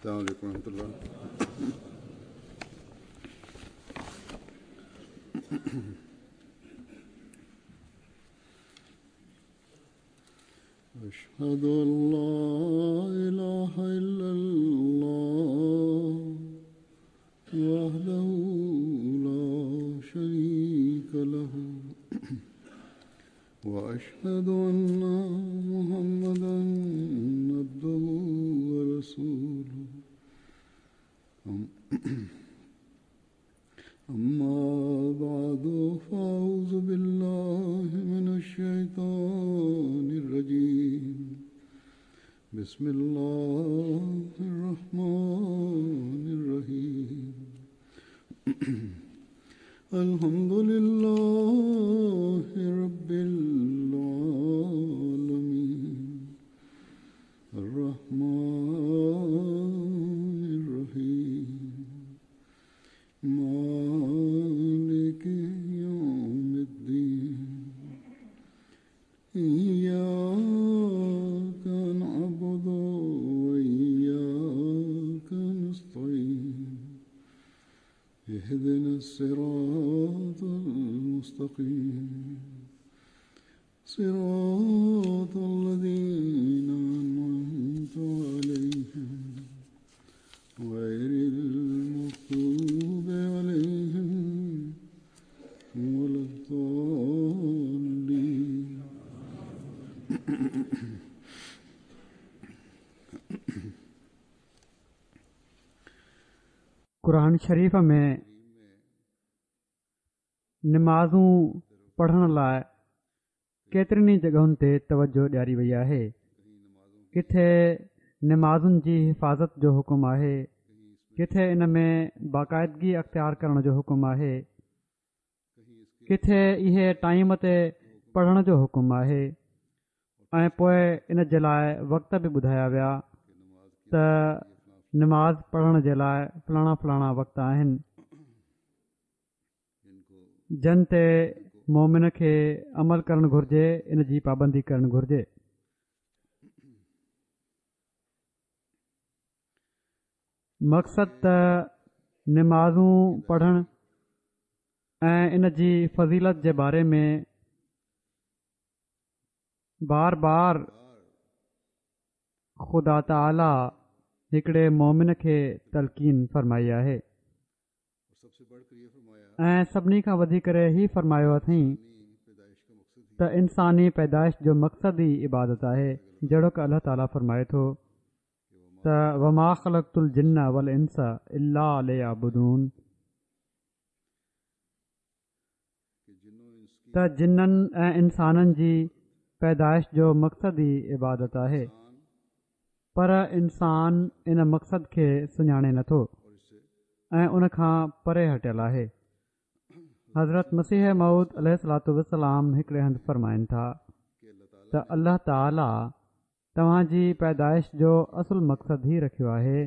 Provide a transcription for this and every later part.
السلام عليڪم ورحمة الله. أشهد أن لا إله إلا الله وحده لا شريك له وأشهد أن محمدا عبده ورسوله. أما بعد، فأعوذ بالله من الشيطان الرجيم. بسم الله الرحمن الرحيم. الحمد لله رب العالمين، الرحمن الرحيم، مالك يوم الدين، إياك نعبد وإياك نستعين، اهدنا الصراط المستقيم، صراط الذين أنعمت عليهم، غير المغضوب عليهم ولا الضالين. قرآن شريف ۾ نمازون پڙهڻ لاء ڪيترين ئي جڳهن تي توجه ڏياري وئي آهي. ڪٿي نمازن جي حفاظت جو حڪم آهي، ڪٿي ان ۾ باقاعدگي اختيار ڪرڻ جو حڪم آهي، ڪٿي اهي ٽائيم تي پڙهڻ جو حڪم آهي ۽ پوء ان جي لاء وقت به ٻڌايا ويا ته نماز پڙهڻ جي لاء فلاڻا فلاڻا وقت آهن، جن تي مومن کي عمل ڪرڻ گهرجي، ان جي پابندي ڪرڻ گهرجي. مقصد ته نمازون پڙهڻ ۽ ان جي فضيلت جي باري ۾ بار بار خدا تعاليٰ هڪڙي مومن کي تلقين فرمائي آهي ۽ سڀني کان وڌي ڪري هي فرمايو اٿئين ته انساني پيدائش جو مقصد ئي عبادت آهي، جهڙوڪ الله تعاليٰ فرمائي ٿو ته وما خلقت الجن والانس الا ليعبدون، ته جنن ۽ انسانن جي پيدائش جو مقصد ئي عبادت آهي، پر انسان ان مقصد کي سڃاڻي نٿو ۽ ان کان پري هٽيل آهي. حضرت مسيح موعود عليه الصلوة والسلام هڪڙي هنڌ فرمائن ٿا ته الله تعاليٰ توهان جي پيدائش جو اصل مقصد هي رکيو آهي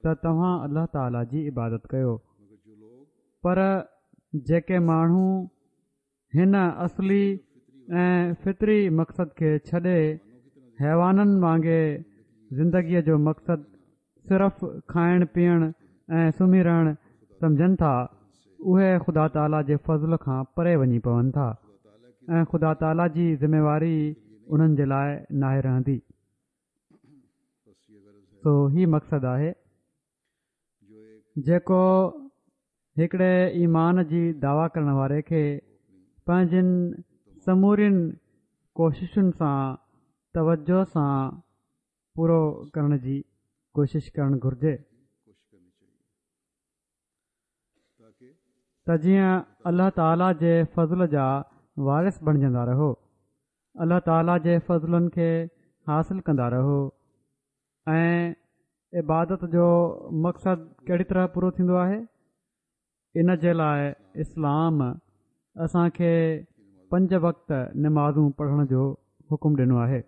ته توهان الله تعالي جي عبادت ڪيو، پر جيڪي ماڻهو هن اصلي ۽ فطري مقصد کي ڇڏي حيوانن وانگي زندگيء جو مقصد صرف کائڻ پيئڻ ۽ سمهي رهڻ سمجهن ٿا، اهي خدا تعاليٰ جي فضل کان پري وڃي پون ٿا ۽ خدا تعاليٰ جي ذميواري انهن جي لاء ناهي رهندي. سو هي مقصد آهي جيڪو هڪڙي ايمان جي دعويٰ ڪرڻ واري کي پنهنجين سمورين ڪوششن سان توجه سان پورو ڪرڻ جي ڪوشش ڪرڻ گهرجي ته جيئن الله تعالي جي فضل جا وارث بڻجندا رهو، الله تعالي جي فضلن کي حاصل ڪندا رهو ۽ عبادت جو مقصد ڪهڙي طرح پورو ٿيندو آهي؟ ان جي لاء اسلام اسان کي پنج وقت نمازون پڙهڻ جو حڪم ڏنو آهي.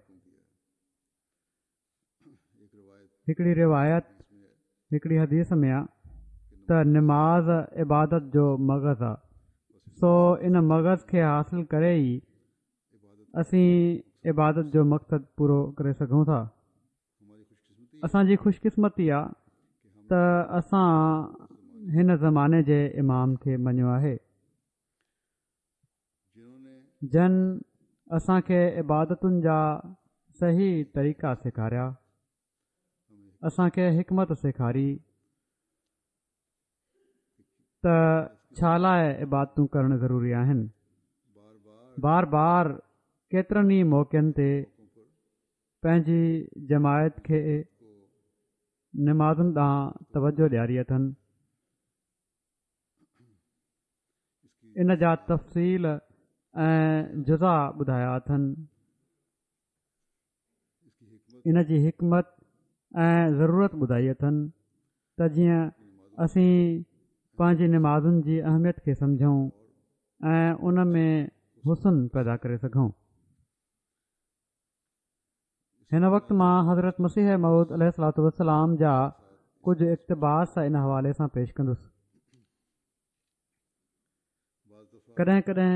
هڪڙي روايت هڪڙي حديث ۾ آ ته نماز عبادت جو مغز آ، سو ان مغز کي حاصل ڪري ئي اسين عبادت جو مقصد پورو ڪري سگهون ٿا. اسان جي خوش قسمتي آ ته اسان هن زماني جي امام کي مڃيو آهي جن اسان کي عبادتن جا صحيح طريقا سيکاريا اسان کي حڪمت سيکاري ته ڇا لاء عبادتون ڪرڻ ضروري آهن بار بار ڪيترن ئي موقعن تي پنهنجي جماعت کي نمازن ڏانهن توجه ڏياري اٿن ان جا تفصيل ۽ جزا ٻڌايا اٿن ان جي حڪمت ۽ ضرورت ٻڌائي اٿن ته جيئن اسين پنهنجي نمازن جي اهميت کي سمجهون ۽ ان ۾ حسن پيدا ڪري سگهون. هن وقت مان حضرت مسيح موعود عليه الصلوة والسلام جا ڪجهه اقتباس ان حوالي سان پيش ڪندس. ڪڏهن ڪڏهن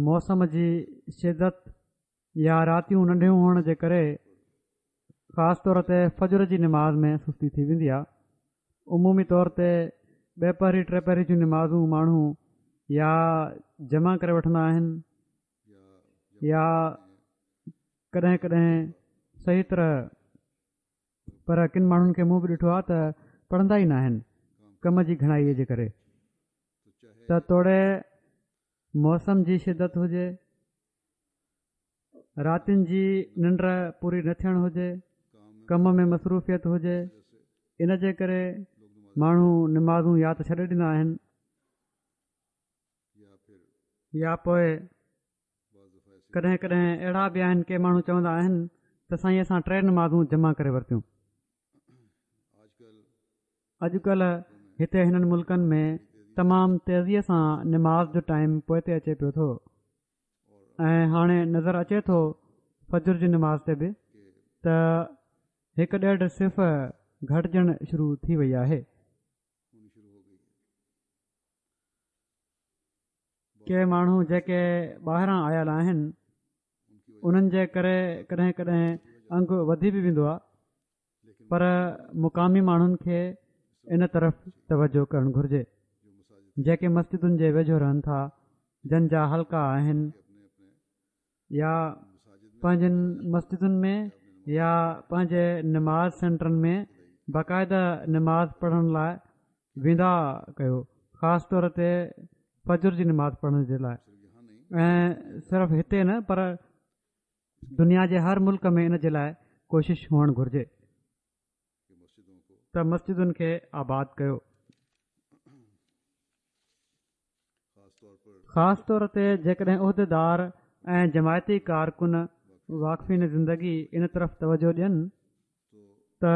موسم جي شدت يا راتيون ننڍيون هئڻ جي ڪري خاص طور تي فجر جي نماز ۾ سستي ٿي ويندي آهي عمومي طور تي ٻه پهري ٽي پهري جون نمازون ماڻهو يا جمع ڪري وٺندا آهن يا ڪڏهن ڪڏهن صحيح طرح پر ڪن ماڻهن کي مون به ڏٺو آهي ته پڙهندا ئي ناهن ڪم جي گهڻائي جي ڪري ته توڙي موسم جي شدت هجي راتين جي ننڊ پوري نه ٿيڻ هجي ڪم ۾ مصروفيت هجي ان جي ڪري ماڻهو نمازون يا ته ڇڏي ڏيندا آهن يا پوء ڪڏهن ڪڏهن اهڙا به آهن ڪي ماڻهو چوندا آهن ته سائين اسان ٽي نمازون جمع ڪري ورتيون اڄڪلهه هتي هنن ملڪن ۾ تمام تيزيء سان نماز جو ٽائيم پوئتي اچي پيو ٿو ۽ هاڻي نظر اچي ٿو فجر جي نماز تي به ته هڪ ڏيڍ صف گهٽجڻ شروع ٿي وئي آهي. ڪي ماڻهو جيڪي ٻاهران آيل آهن انهن جي ڪري ڪڏهن ڪڏهن انگ وڌي به ويندو آهي پر مقامي ماڻهن کي ان طرف توجه ڪرڻ گهرجي جيڪي مسجدن جي ويجهو رهن ٿا جن جا حلقا آهن يا پنهنجن مسجدن ۾ يا پنهنجي نماز سينٽرن ۾ باقاعده نماز پڙهڻ لاء ويندا ڪيو خاص طور تي فجر جي نماز پڙهڻ جي لاء ۽ صرف هتي نه پر دنيا جي هر ملڪ ۾ ان جي لاء ڪوشش هئڻ گهرجي ته مسجدن کي آباد ڪيو. خاص طور تي جيڪڏهن عهديدار ۽ جماعتي ڪارڪن واقفين زندگي ان طرف توجه ڏين ته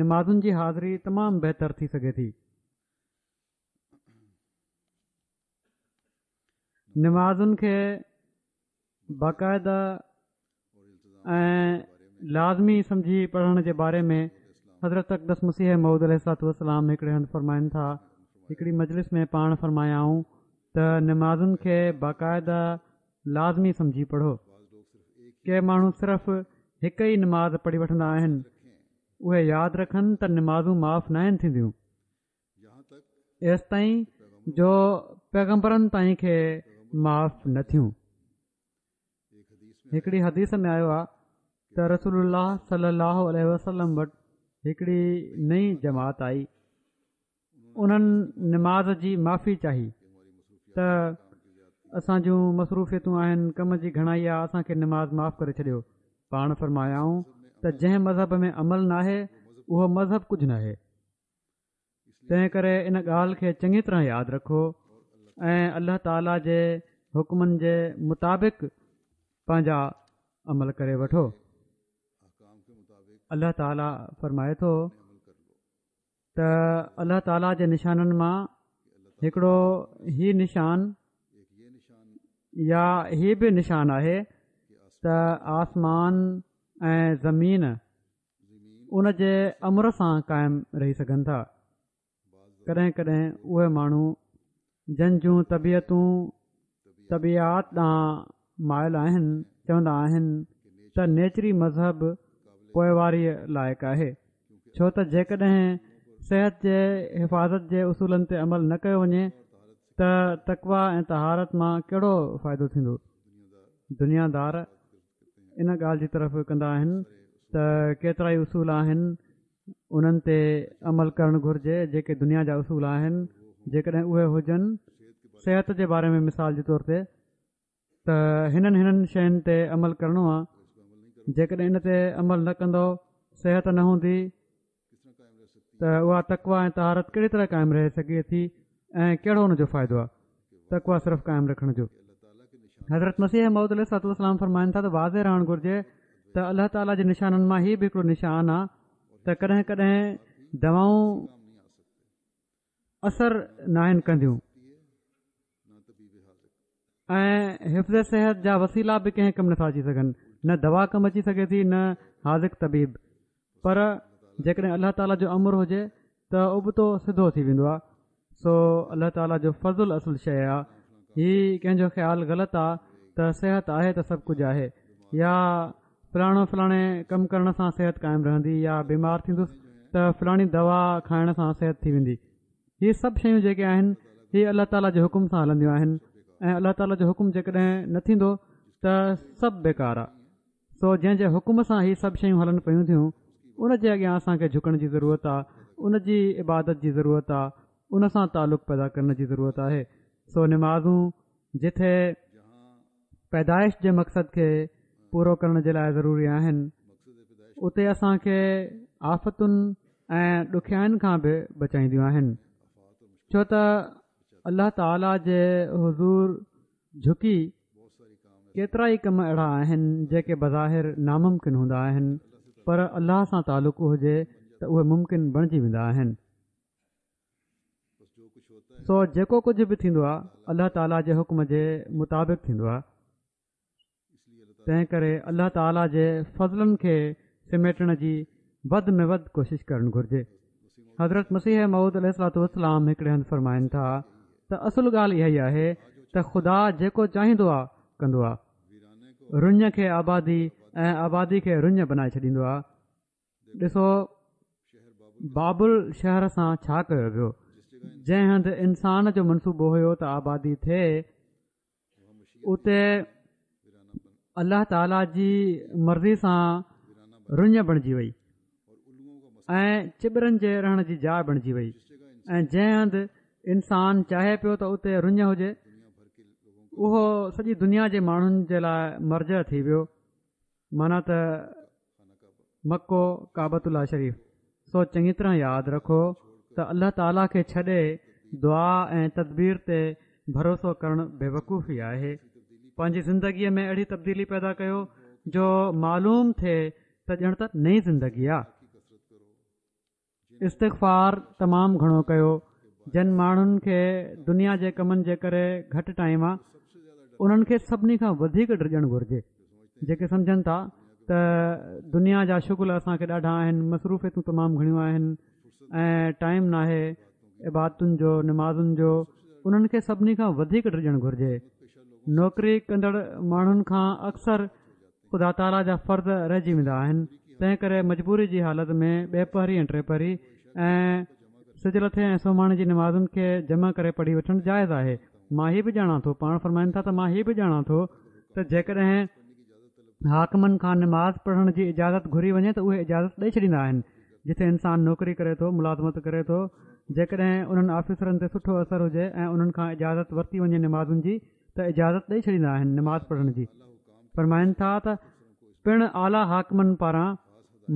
نمازن جي حاضري تمام بهتر ٿي سگهي ٿي. نمازن کي باقاعده ۽ لازمي سمجهي پڙهڻ جي باري ۾ حضرت اقدس مسيح موعود عليه الصلوة والسلام هڪڙي هنڌ فرمائن ٿا هڪڙي مجلس ۾ پاڻ فرمايائون ته نمازن کي باقاعده لازمي سمجهي پڙهو ڪي ماڻهو صرف هڪ ئي نماز پڙهي وٺندا آهن اهي ياد رکن ته نمازون معاف ناهن ٿينديون ايستائين جو پيغمبرن تائين کي معاف نه ٿيون هڪڙي حديث ۾ آيو آهي ته رسول الله صلي الله عليه وسلم وٽ هڪڙي نئين جماعت آئي انهن نماز جي معافي چاهي ته اسان جون مصروفيتون آهن ڪم جي گهڻائي آهي اسان کي نماز معاف ڪري ڇڏيو پاڻ فرمايائون ته جنهن مذهب ۾ عمل ناهي اهو مذهب ڪجهه ناهي تنهن ڪري ان ڳالهه کي چڱي طرح ياد رکو ۽ الله تعاليٰ جي حڪمن جي مطابق پنهنجا عمل ڪري وٺو الله تعاليٰ فرمائي ٿو ته الله تعاليٰ جي نشانن مان هڪڙو هي نشان يا هي به نشان آهي ته آسمان ۽ زمين ان جي امر سان قائم رهي سگهن ٿا ڪڏهن ڪڏهن اهي ماڻهو جن جون طبيعتون طبيعات ڏانهن مائل آهن چوندا آهن ته نيچري مذهب پوئواريء لائق آهي، ڇو ته جيڪڏهن صحت جي حفاظت جي اصولن تي عمل نه ڪيو وڃي ته تقويٰ ۽ طهارت مان ڪهڙو فائدو ٿيندو؟ دنيا دار ان ڳالهه جي طرف ڪندا آهن ته ڪيترائي اصول آهن انهن تي عمل ڪرڻ گهرجي جيڪي دنيا جا اصول آهن جيڪڏهن اهي هجن صحت جي باري ۾ مثال جي طور تي ته هنن هنن شين تي عمل ڪرڻو آ جيڪڏهن ان تي عمل نه ڪندو صحت نه هوندي ته اها تقويٰ ۽ طهارت ڪهڙي طرح قائم رهي سگهي ٿي ۽ ڪهڙو ان جو فائدو آ تقويٰ صرف قائم رکڻ جو حضرت مسيح موعود عليه الصلوة والسلام فرمائن ٿا ته واضح رهڻ گهرجي ته الله تعاليٰ جي نشانن مان هي به هڪڙو نشان آ ته ڪڏهن ڪڏهن دوائون اثر ناهن ڪنديون ۽ حفظ صحت جا وسيلا به ڪنهن ڪم نٿا اچي سگهن نه دوا ڪم اچي سگهي ٿي نه حاذق طبيب پر جيڪڏهن الله تعاليٰ جو امر هجي ته ابتو سڌو ٿي ويندو آهي سو الله تعاليٰ جو فضل اصل شيء آهي هي ڪنهن جو خيال غلط آهي ته صحت آهي ته سڀ ڪجهه آهي يا فلاڻو فلاڻي ڪم ڪرڻ سان صحت قائم رهندي يا بيمار ٿيندس ته فلاڻي دوا کائڻ سان صحت ٿي ويندي هي سڀ شيون جيڪي آهن هي الله تعاليٰ جي حڪم سان هلنديون آهن ۽ الله تعاليٰ جو حڪم جيڪڏهن نه ٿيندو ته سڀ بيڪار آهي سو جنهن جي حڪم سان هي سڀ شيون هلن پيون ٿيون ان جي اڳيان اسان کي جهڪڻ جي ضرورت آهي ان جي عبادت جي ضرورت آهي ان سان تعلق پيدا ڪرڻ جي ضرورت آهي سو نمازون جتي پيدائش جي مقصد کي پورو ڪرڻ جي لاء ضروري آهن اتي اسان کي آفتن ۽ ڏکيائين کان به بچائينديون آهن ڇو ته الله تعاليٰ جي حضور جهڪي ڪيترا ئي ڪم اهڙا آهن جيڪي بظاهر ناممڪن هوندا آهن پر الله سان تعلق هجي ته اهي ممڪن بڻجي ويندا آهن سو جيڪو ڪجهه به ٿيندو آهي الله تعاليٰ جي حڪم جي مطابق ٿيندو آهي تنهن ڪري الله تعاليٰ جي فضلن کي سميٽڻ جي وڌ ۾ وڌ ڪوشش ڪرڻ گهرجي حضرت مسيح موعود عليه الصلوة والسلام هڪڙي هنڌ فرمائن ٿا ته اصل ڳالهه اها ئي آهي ته خدا جيڪو چاهيندو آهي ڪندو آهي رڃ کي آبادي ۽ آبادي کي رڃ بنائي ڇڏيندو آهي ڏسو بابل شهر سان ڇا ڪيو ويو جنهن هنڌ انسان جو منصوبو هيو ته آبادي ٿئي اتي الله تعالي جي مرضي سان رڃ بڻجي وئي ۽ چٻرن جي رهڻ جي جاء بڻجي وئي ۽ جنهن هنڌ انسان چاهي پيو ته اتي رڃ هجي اهو سڄي دنيا جي ماڻهن جي لاء مرجع ٿي ويو معنيٰ ته مڪو ڪعبة الله شريف سو چڱي طرح ياد رکو ته الله تعاليٰ کي ڇڏي دعا ۽ تدبير تي ڀروسو ڪرڻ بيوقوفي آهي پنهنجي زندگيء ۾ اهڙي تبديلي پيدا ڪيو جو معلوم ٿئي ته ڄڻ ته نئين زندگي آ استغفار تمام گهڻو ڪيو جن ماڻهن کي دنيا جي ڪمن جي ڪري گهٽ ٽائيم آ انهن کي سڀني کان وڌيڪ ڊڄڻ گهرجي جيڪي سمجهن ٿا ته دنيا جا شغل اسان کي ڏاڍا آهن مصروفيتون تمام گهڻيون آهن ۽ ٽائيم ناهي عبادتن جو نمازن جو انهن کي سڀني کان وڌيڪ ڊڄڻ گهرجي نوڪري ڪندڙ ماڻهن کان اڪثر خدا تعاليٰ جا فرض رهجي ويندا آهن تنهن ڪري مجبوري جي حالت ۾ ٻيپهري ۽ ٽيپهري ۽ سج لٿي ۽ سومهاڻي جي نمازن کي جمع ڪري پڙهي وٺڻ جائز آهي مان هي به ڄاڻان ٿو پاڻ فرمائن ٿا ته مان هي به ڄاڻان ٿو ته جيڪڏهن حاڪمن کان نماز پڙهڻ جي اجازت گهري وڃي ته اهي اجازت ڏئي ڇڏيندا آهن جتي انسان نوڪري ڪري ٿو ملازمت ڪري ٿو جيڪڏهن انهن آفيسرن تي سٺو اثر هجي ۽ انهن کان اجازت ورتي وڃي نمازن جي ته اجازت ڏئي ڇڏيندا آهن نماز پڙهڻ جي فرمائن ٿا ته پڻ اعليٰ حاڪمن پاران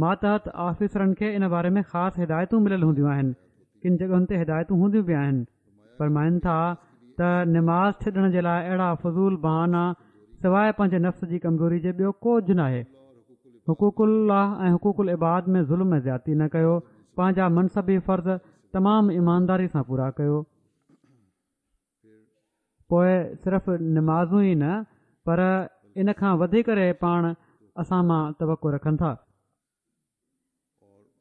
ماتحت آفيسرن کي ان باري ۾ خاص هدايتون مليل هونديون آهن ڪن جڳهن تي هدايتون هونديون به آهن فرمائن ٿا ته نماز ڇڏڻ جي لاء اهڙا فضول بهانا سواء پنهنجي نفس جي ڪمزوري جي ٻيو ڪجهه ناهي حقوق الله ۽ حقوق العباد ۾ ظلم ۽ زيادتي نه ڪيو پنهنجا منصبي فرض تمام ايمانداري سان پورا ڪيو پوء صرف نمازون ئي نه پر ان کان وڌي ڪري پاڻ اسان مان توقع رکن ٿا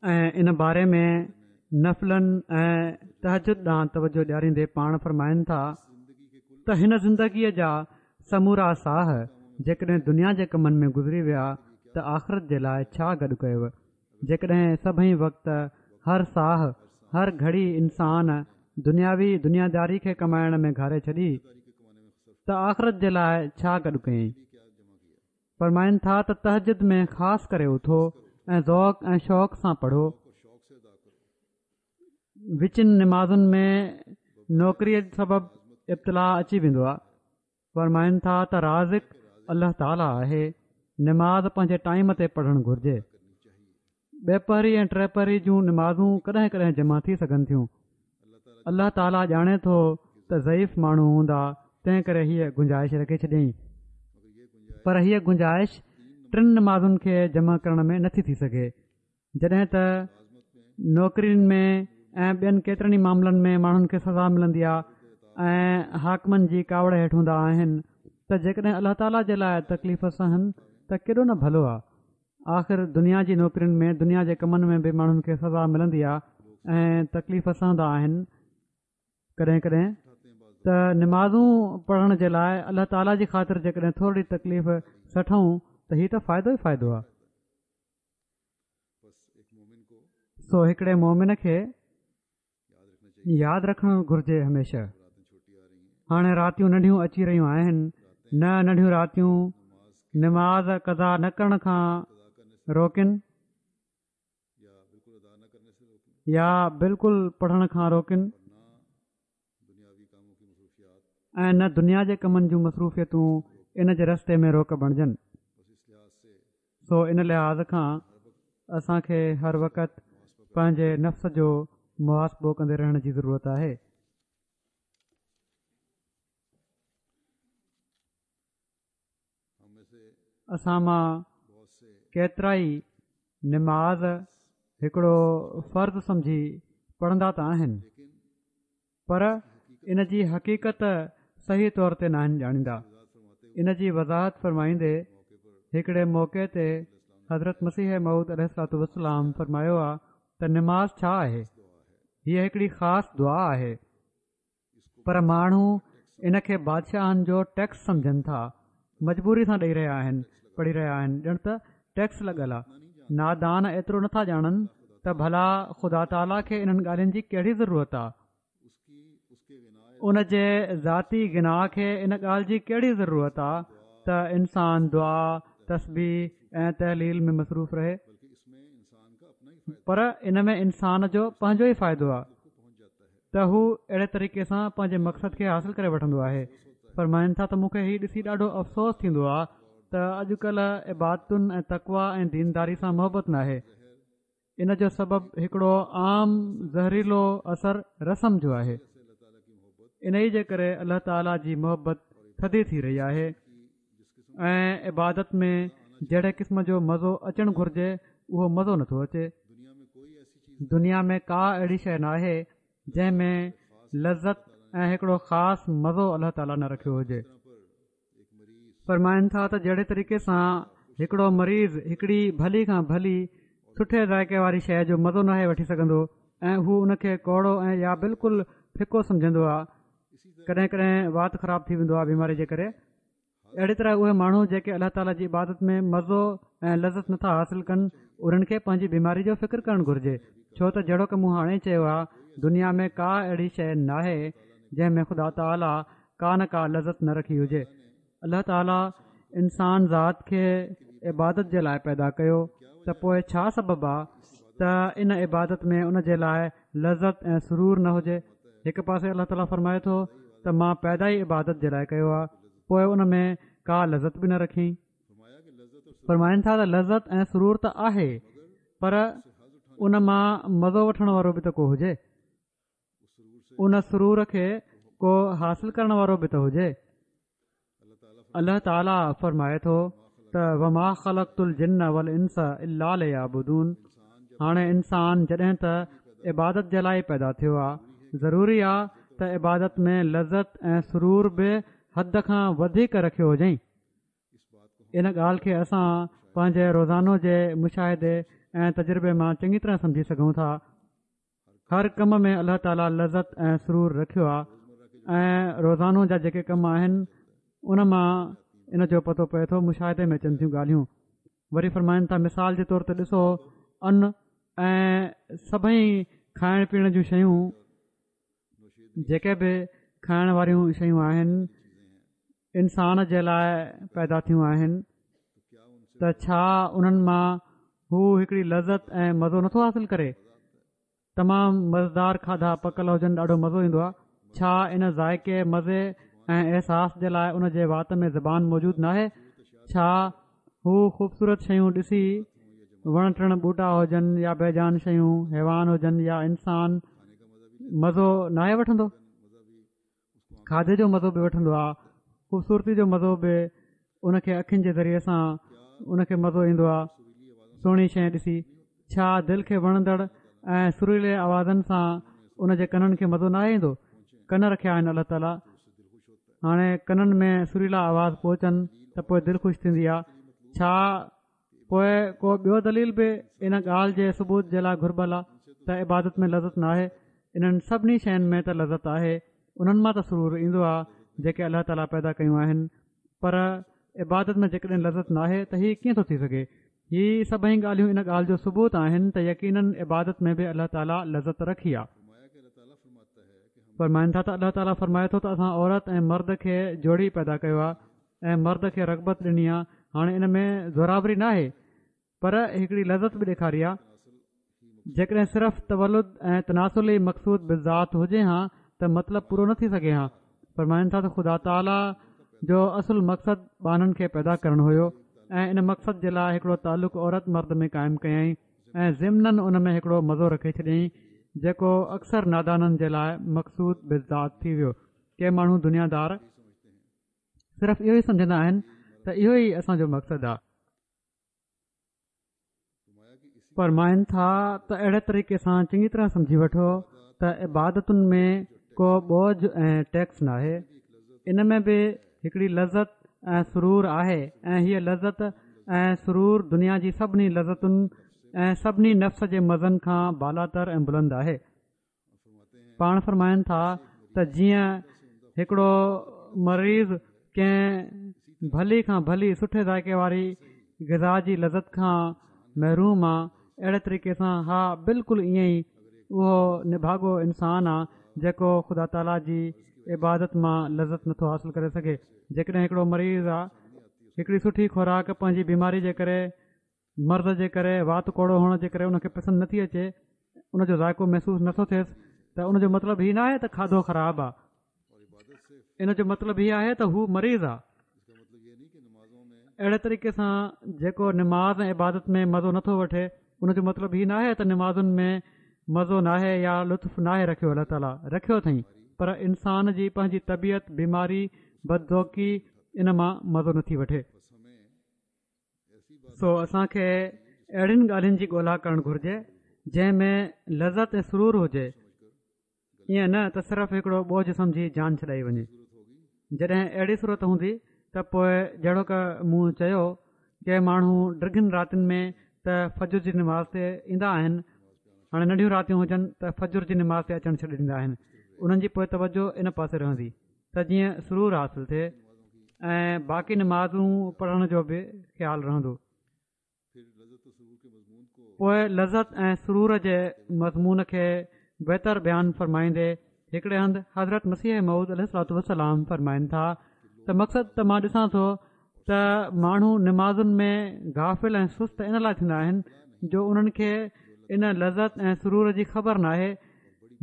۽ ان باري ۾ نفلن ۽ تهجد ڏانهن توجه ڏياريندي پاڻ فرمائن ٿا ته هن زندگيء جا سمورا ساهه جيڪڏهن دنيا جي ڪمن ۾ گذري ويا ته آخرت جي لاء ڇا گڏ ڪيو؟ جيڪڏهن سڀئي وقت، هر ساهه، هر گهڙي انسان دنياوي دنياداري کي ڪمائڻ ۾ گهاري ڇڏي ته آخرت جي لاء ڇا گڏ ڪيائين؟ فرمائن ٿا ته تهجد ۾ خاص ڪري اٿو ۽ ذوق ۽ شوق سان پڙهو. وچين نمازن ۾ نوڪريء سبب ابتلاء اچي ويندو آهي. فرمائن ٿا ته رازق الله تعاليٰ آهي، نماز پنهنجي ٽائيم تي پڙهڻ گهرجي. ٻپهري ۽ ٽپهري جون نمازون ڪڏهن ڪڏهن جمع ٿي سگهن ٿيون. الله تعاليٰ ڄاڻي ٿو ته ضعيف ماڻهو هوندا تنهن ڪري هيء گنجائش رکي ڇڏيائين. پر هيء گنجائش ٽن نمازن کي جمع ڪرڻ ۾ نٿي ٿي سگهي. جڏهن ته نوڪرين ۾ ۽ ٻين ڪيترن ئي معاملن ۾ ماڻهن کي سزا ملندي آهي ۽ حاڪمن جي ڪاوڙ هيٺ هوندا آهن ته جيڪڏهن الله تعاليٰ جي لاء تڪليف سهن ته ڪيڏو نه ڀلو آهي آخر دنيا جي نوڪرين ۾ دنيا جي ڪمن ۾ به ماڻهن کي سزا ملندي آهي ۽ تڪليف سهندا آهن ڪڏهن ڪڏهن ته نمازون پڙهڻ جي لاء الله تعاليٰ جي خاطر جيڪڏهن ٿورڙي تڪليف سٺون ته هي ته فائدو ئي فائدو آهي سو هڪڙي مومن کي ياد رکڻ گهرجي هميشه هاڻي راتيون ننڍيون اچي رهيون آهن نه ننڍيون راتيون نماز قضا نه ڪرڻ کان روڪن يا بلڪل پڙهڻ کان روڪن ۽ نه دنيا جي ڪمن جون مصروفيتون ان جي رستي ۾ روڪ بڻجن سو ان لحاظ کان اسان کي هر وقت پنهنجي نفس جو محاسبو ڪندي رهڻ جي ضرورت آهي. اسان مان ڪيترائي نماز هڪڙو فرض سمجهي پڙهندا ته آهن پر ان جي حقيقت صحيح طور تي ناهن ڄاڻيندا ان جي وضاحت فرمائيندي هڪڙي موقعي تي حضرت مسيح موعود عليه الصلوة والسلام فرمايو آ ته نماز ڇا آهي هيء هڪڙي خاص دعا آهي پر ماڻهو ان کي بادشاهن جو ٽيڪس سمجهن ٿا، مجبوري سان ڏئي رهيا آهن، پڙهي رهيا آهن ڄڻ ته ٽيڪس لڳل آ. نادان ايترو نٿا ڄاڻن ته ڀلا خدا تعاليٰ کي انهن ڳالهين جي ڪهڙي ضرورت آ؟ ان جي ذاتي غنا کي ان ڳالهه جي ڪهڙي ضرورت آ ته انسان دعا، تسبيح ۽ تهليل ۾ مصروف رهي؟ پر ان ۾ انسان جو پنهنجو ئي فائدو آ. ته هو اهڙي طريقي سان پنهنجي مقصد کي حاصل ڪري وٺندو آهي فرمائن ٿا ته مون کي هي ڏسي ڏاڍو افسوس ٿيندو آهي ته اڄڪلهه عبادتن ۽ تقوا ۽ دينداري سان محبت ناهي ان جو سبب هڪڙو عام زهريلو اثر رسم جو آهي انهي جي ڪري الله تعاليٰ جي محبت ٿڌي ٿي رهي آهي ۽ عبادت ۾ جهڙي قسم جو مزو اچڻ گهرجي اهو مزو نٿو اچي دنيا ۾ ڪا اهڙي شيء ناهي جنهن ۾ لذت ۽ هڪڙو خاص مزو الله تعاليٰ نه رکيو هجي فرمائن ٿا ته جهڙي طريقي سان هڪڙو مريض هڪڙي ڀلي کان ڀلي سٺي ذائقي واري شيء جو مزو ناهي وٺي سگهندو ۽ هو ان کي ڪوڙو ۽ يا بلڪل ڦڪو سمجهندو آهي ڪڏهن ڪڏهن وات خراب ٿي ويندو آهي بيماري جي ڪري اهڙي طرح اهي ماڻهو جيڪي الله تعاليٰ جي عبادت ۾ مزو ۽ لذت نٿا حاصل ڪن انهن کي پنهنجي بيماري جو فڪر ڪرڻ گهرجي ڇو ته جهڙوڪ مون هاڻي چيو آهي دنيا ۾ ڪا اهڙي شيء ناهي جنهن ۾ خدا تعاليٰ ڪا نه ڪا لذت نه رکي هجي الله تعاليٰ انسان ذات کي عبادت جي لاء پيدا ڪيو ته پوء ڇا سبب آ ته ان عبادت ۾ ان جي لاء لذت ۽ سرور نه هجي هڪ پاسي الله تعاليٰ فرمائي ٿو ته مان پيدا ئي عبادت جي لاء ڪيو آهي پوء ان ۾ ڪا لذت به نه رکي فرمائن ٿا ته لذت ۽ سرور ته آهي پر ان مان مزو وٺڻ وارو به ته ڪو هجي ان سرور کي ڪو حاصل ڪرڻ وارو به ته هجي الله تعالي فرمائي ٿو ته وما خلقت الجن والانس الا ليعبدون هاڻي انسان جڏهن ته عبادت جي لاء پيدا ٿيو آ ضروري آ ته عبادت ۾ لذت ۽ سرور به حد کان وڌيڪ رکيو هجئين ان ڳالهه کي اسان پنهنجي روزانو جي مشاهدي ۽ تجربي مان چڱي طرح سمجهي سگهون ٿا هر ڪم ۾ الله تعاليٰ لذت ۽ سرور رکيو آهي ۽ روزانو جا جيڪي ڪم آهن ان مان ان جو پتو پئي ٿو مشاهدي ۾ اچن ٿيون ڳالهيون. وري فرمائن ٿا مثال جي طور تي ڏسو ان ۽ سڀئي کائڻ پيئڻ جون شيون جيڪي به کائڻ واريون شيون آهن انسان جي لاء پيدا ٿيون آهن ته ڇا انهن مان هو هڪڙي لذت ۽ مزو نٿو حاصل ڪري تمام مزيدار کاڌا پڪل هجن ڏاڍو مزو ايندو آهي ڇا ان ذائقي مزي ۽ احساس جي لاء ان جي وات ۾ زبان موجود ناهي ڇا هو خوبصورت شيون ڏسي وڻ ٽڻ ٻوٽا هجن يا بيجان شيون حيوان هجن يا انسان مزو ناهي وٺندو کاڌي جو مزو به وٺندو آهي خوبصورتي جو مزو به ان کي اکين جي ذريعي سان ان کي مزو ايندو آهي سهڻي شيء ڏسي ڇا دل کي وڻندڙ ۽ سريلي آوازن سان ان جي ڪنن کي مزو ناهي ايندو؟ ڪن رکيا آهن الله تعالي هاڻي ڪنن ۾ سريلا آواز پهچن ته پوء دل خوش ٿيندي آهي ڇا پوء ڪو ٻيو دليل به ان ڳالهه جي ثبوت جي لاء گهربل آهي ته عبادت ۾ لذت ناهي انهن سڀني شين ۾ ته لذت آهي انهن مان ته سرور ايندو آهي جيڪي الله تعالي پيدا ڪيون آهن پر عبادت ۾ جيڪڏهن لذت ناهي ته هي ڪيئن ٿو ٿي سگهي هي سڀئي ڳالهيون ان ڳالهه جو ثبوت آهن ته يقيناً عبادت ۾ به الله تعاليٰ لذت رکي آهي. فرمائن ٿا ته الله تعاليٰ فرمائي ٿو ته اسان عورت ۽ مرد کي جوڙي پيدا ڪيو آهي ۽ مرد کي رغبت ڏني آهي هاڻي ان ۾ زورآوري ناهي پر هڪڙي لذت به ڏيکاري آهي جيڪڏهن صرف تولد ۽ تناسل ئي مقصود بالذات هجي ها ته مطلب پورو نه ٿي سگهي ها. فرمائن ٿا ته خدا تعاليٰ جو اصل مقصد ٻانهن کي پيدا ڪرڻ هيو ۽ ان مقصد جي لاء هڪڙو تعلق عورت مرد ۾ قائم ڪيائين ۽ ضمناً ان ۾ هڪڙو مزو رکي ڇڏيائين جيڪو اڪثر نادانن جي لاء مقصود بالذات ٿي ويو. ڪي ماڻهو دنيا دار صرف اهو ئي سمجهندا آهن ته اهو ئي اسان جو مقصد آهي. فرمائن ٿا ته اهڙي طريقي سان چڱي طرح سمجهي وٺو ته عبادتن ۾ ڪو بوجه ۽ ٽيڪس ناهي ان ۾ به هڪڙي لذت ۽ سرور آهي ۽ هيء لذت ۽ سرور دنيا جي سڀني لذتن ۽ سڀني نفس جي مزن کان بالاتر ۽ بلند آهي پاڻ فرمائن ٿا ته جيئن هڪڙو مريض ڪنهن ڀلي کان ڀلي سٺي ذائقي واري غذا جي لذت کان محروم آ اهڙي طريقي سان ها بلڪل ائين ئي اهو نڀاڳو انسان آ جيڪو خدا تعاليٰ جي عبادت مان لذت نٿو حاصل ڪري سگهي جيڪڏهن هڪڙو مريض آ هڪڙي سٺي خوراڪ پنهنجي بيماري جي ڪري مرض جي ڪري وات ڪوڙو هئڻ جي ڪري ان کي پسند نٿي اچي ان جو ذائقو محسوس نٿو ٿئيس ته ان جو مطلب هي ناهي ته کاڌو خراب آ ان جو مطلب هي آهي ته هو مريض آ اهڙي طريقي سان جيڪو نماز ۽ عبادت ۾ مزو نٿو وٺي ان جو مطلب هي ناهي ته نمازن ۾ مزو ناهي يا لطف ناهي رکيو الله تعالي رکيو اٿئي پر انسان جي پنهنجي طبيعت بيماري بدذوقي ان مان مزو نٿي وٺي سو اسان کي اهڙين ڳالهين جي ڳولا ڪرڻ گهرجي جنهن ۾ لذت ۽ سرور هجي ائين نه ته صرف هڪڙو بوجه سمجهي جان ڇڏائي وڃي جڏهن اهڙي صورت هوندي ته پوء جهڙوڪ مون چيو ڪي ماڻهو ڊگهين راتين ۾ ته فجر جي نماز تي ايندا آهن هاڻي ننڍيون راتيون هجن ته فجر جي نماز تي اچڻ ڇڏي ڏيندا آهن انهن جي پوء توجه ان پاسي رهندي ته جيئن سرور حاصل ٿئي ۽ باقي نمازون پڙهڻ جو به خيال رهندو. پوء لذت ۽ سرور جي مضمون کي بهتر بيان فرمائيندي هڪڙي هنڌ حضرت مسيح موعود عليه الصلوة والسلام فرمائن ٿا ته مقصد ته مان ڏسان ٿو ته ماڻهو نمازن ۾ غافل ۽ سست ان لاء ٿيندا آهن جو انهن کي ان لذت ۽ سرور جي خبر ناهي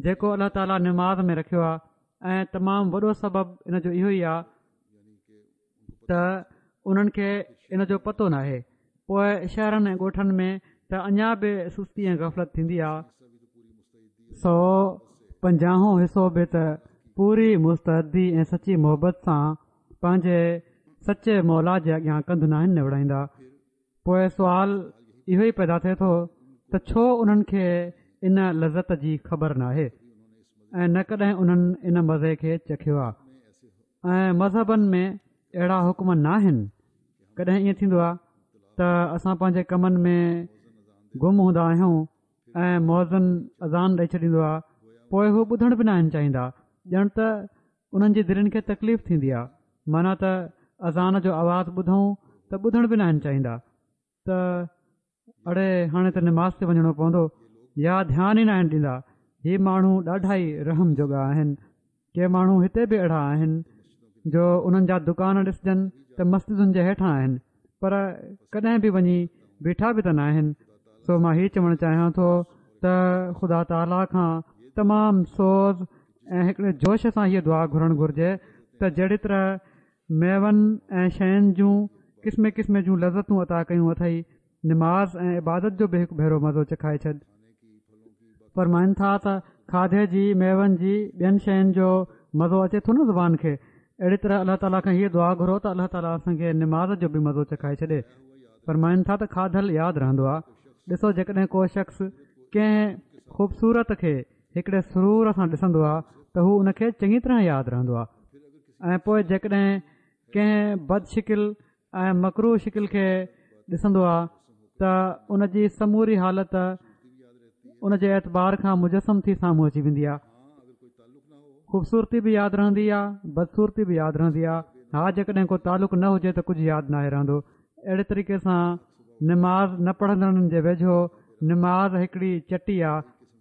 جيڪو الله تعاليٰ نماز ۾ رکيو آهي ۽ تمام وڏو سبب ان جو اهو ئي آهي ته انهن کي ان جو پتو ناهي پوء شهرن ۽ ڳوٺن ۾ ته اڃا به سستي ۽ غفلت ٿيندي آهي سو پنجاهون حصو به ته پوري مستعدي ۽ سچي محبت سان پنهنجي سچي مولا جي اڳيان ڪنڌ ناهن نوڙائيندا پوء سوال اهو ئي پيدا ٿئي ٿو ته ڇو انهن کي ان لذت جي خبر ناهي ۽ نه ڪڏهن انهن ان مزي کي چکيو آهي ۽ مذهبن ۾ اهڙا حڪم ناهن ڪڏهن ائين ٿيندو آهي ته اسان پنهنجي ڪمن ۾ گم هوندا آهيون ۽ مؤذن اذان ڏئي ڇڏيندو آهي پوء هو ٻڌڻ به ناهن چاهيندا ڄڻ ته انهن جي دلين کي تڪليف ٿيندي آهي معنيٰ ته اذان جو آواز ٻڌون ته ٻڌڻ به ناهن چاهيندا. ته اڙي هاڻي ته نماز تي وڃڻو پوندو يا ڌيان ئي ناهن ڏيندا. هي ماڻهو ڏاڍا ئي رحم جوڳا آهن. ڪي ماڻهو هتي به اهڙا آهن جو انهن جا دڪان ڏسجن ته مسجدن جي هيٺان آهن پر ڪڏهن به وڃي بيٺا به ته ناهن. سو مان هي چوڻ چاهيان ٿو ته خدا تعاليٰ کان تمام سوز ۽ هڪڙي جوش سان هيء دعا گهرڻ گهرجي ته جهڙي طرح ميون ۽ شين جون قسمين قسمين جون لذتون عطا ڪيون اٿئي، نماز ۽ عبادت جو به هڪ ڀيرو مزو چکائي ڇڏ. فرمائن ٿا ته کاڌي جي، ميون جي، ٻين شين جو مزو اچي ٿو نه زبان کي، اهڙي طرح الله تعاليٰ کان هيء دعا گهرو ته الله تعاليٰ اسان کي نماز جو به مزو چکائي ڇڏي. فرمائن ٿا ته کاڌل ياد رهندو آهي. ڏسو جيڪڏهن ڪو شخص ڪنهن خوبصورت کي هڪڙي سرور سان ڏسندو آهي ته هو ان کي چڱي طرح ياد رهندو آهي ۽ پوء جيڪڏهن ڪنهن بد شڪل ۽ مڪروه شڪل کي ڏسندو آهي ته ان جي سموري حالت ان جي اعتبار کان مجسم ٿي سامهون اچي ويندي آهي خوبصورتي به ياد رهندي آهي بدصورتي به ياد رهندي آهي ها جيڪڏهن ڪو تعلق نه هجي ته ڪجهه ياد ناهي رهندو اهڙي طريقي سان نماز نه پڙهندڙن جي ويجهو نماز هڪڙي چٽي آ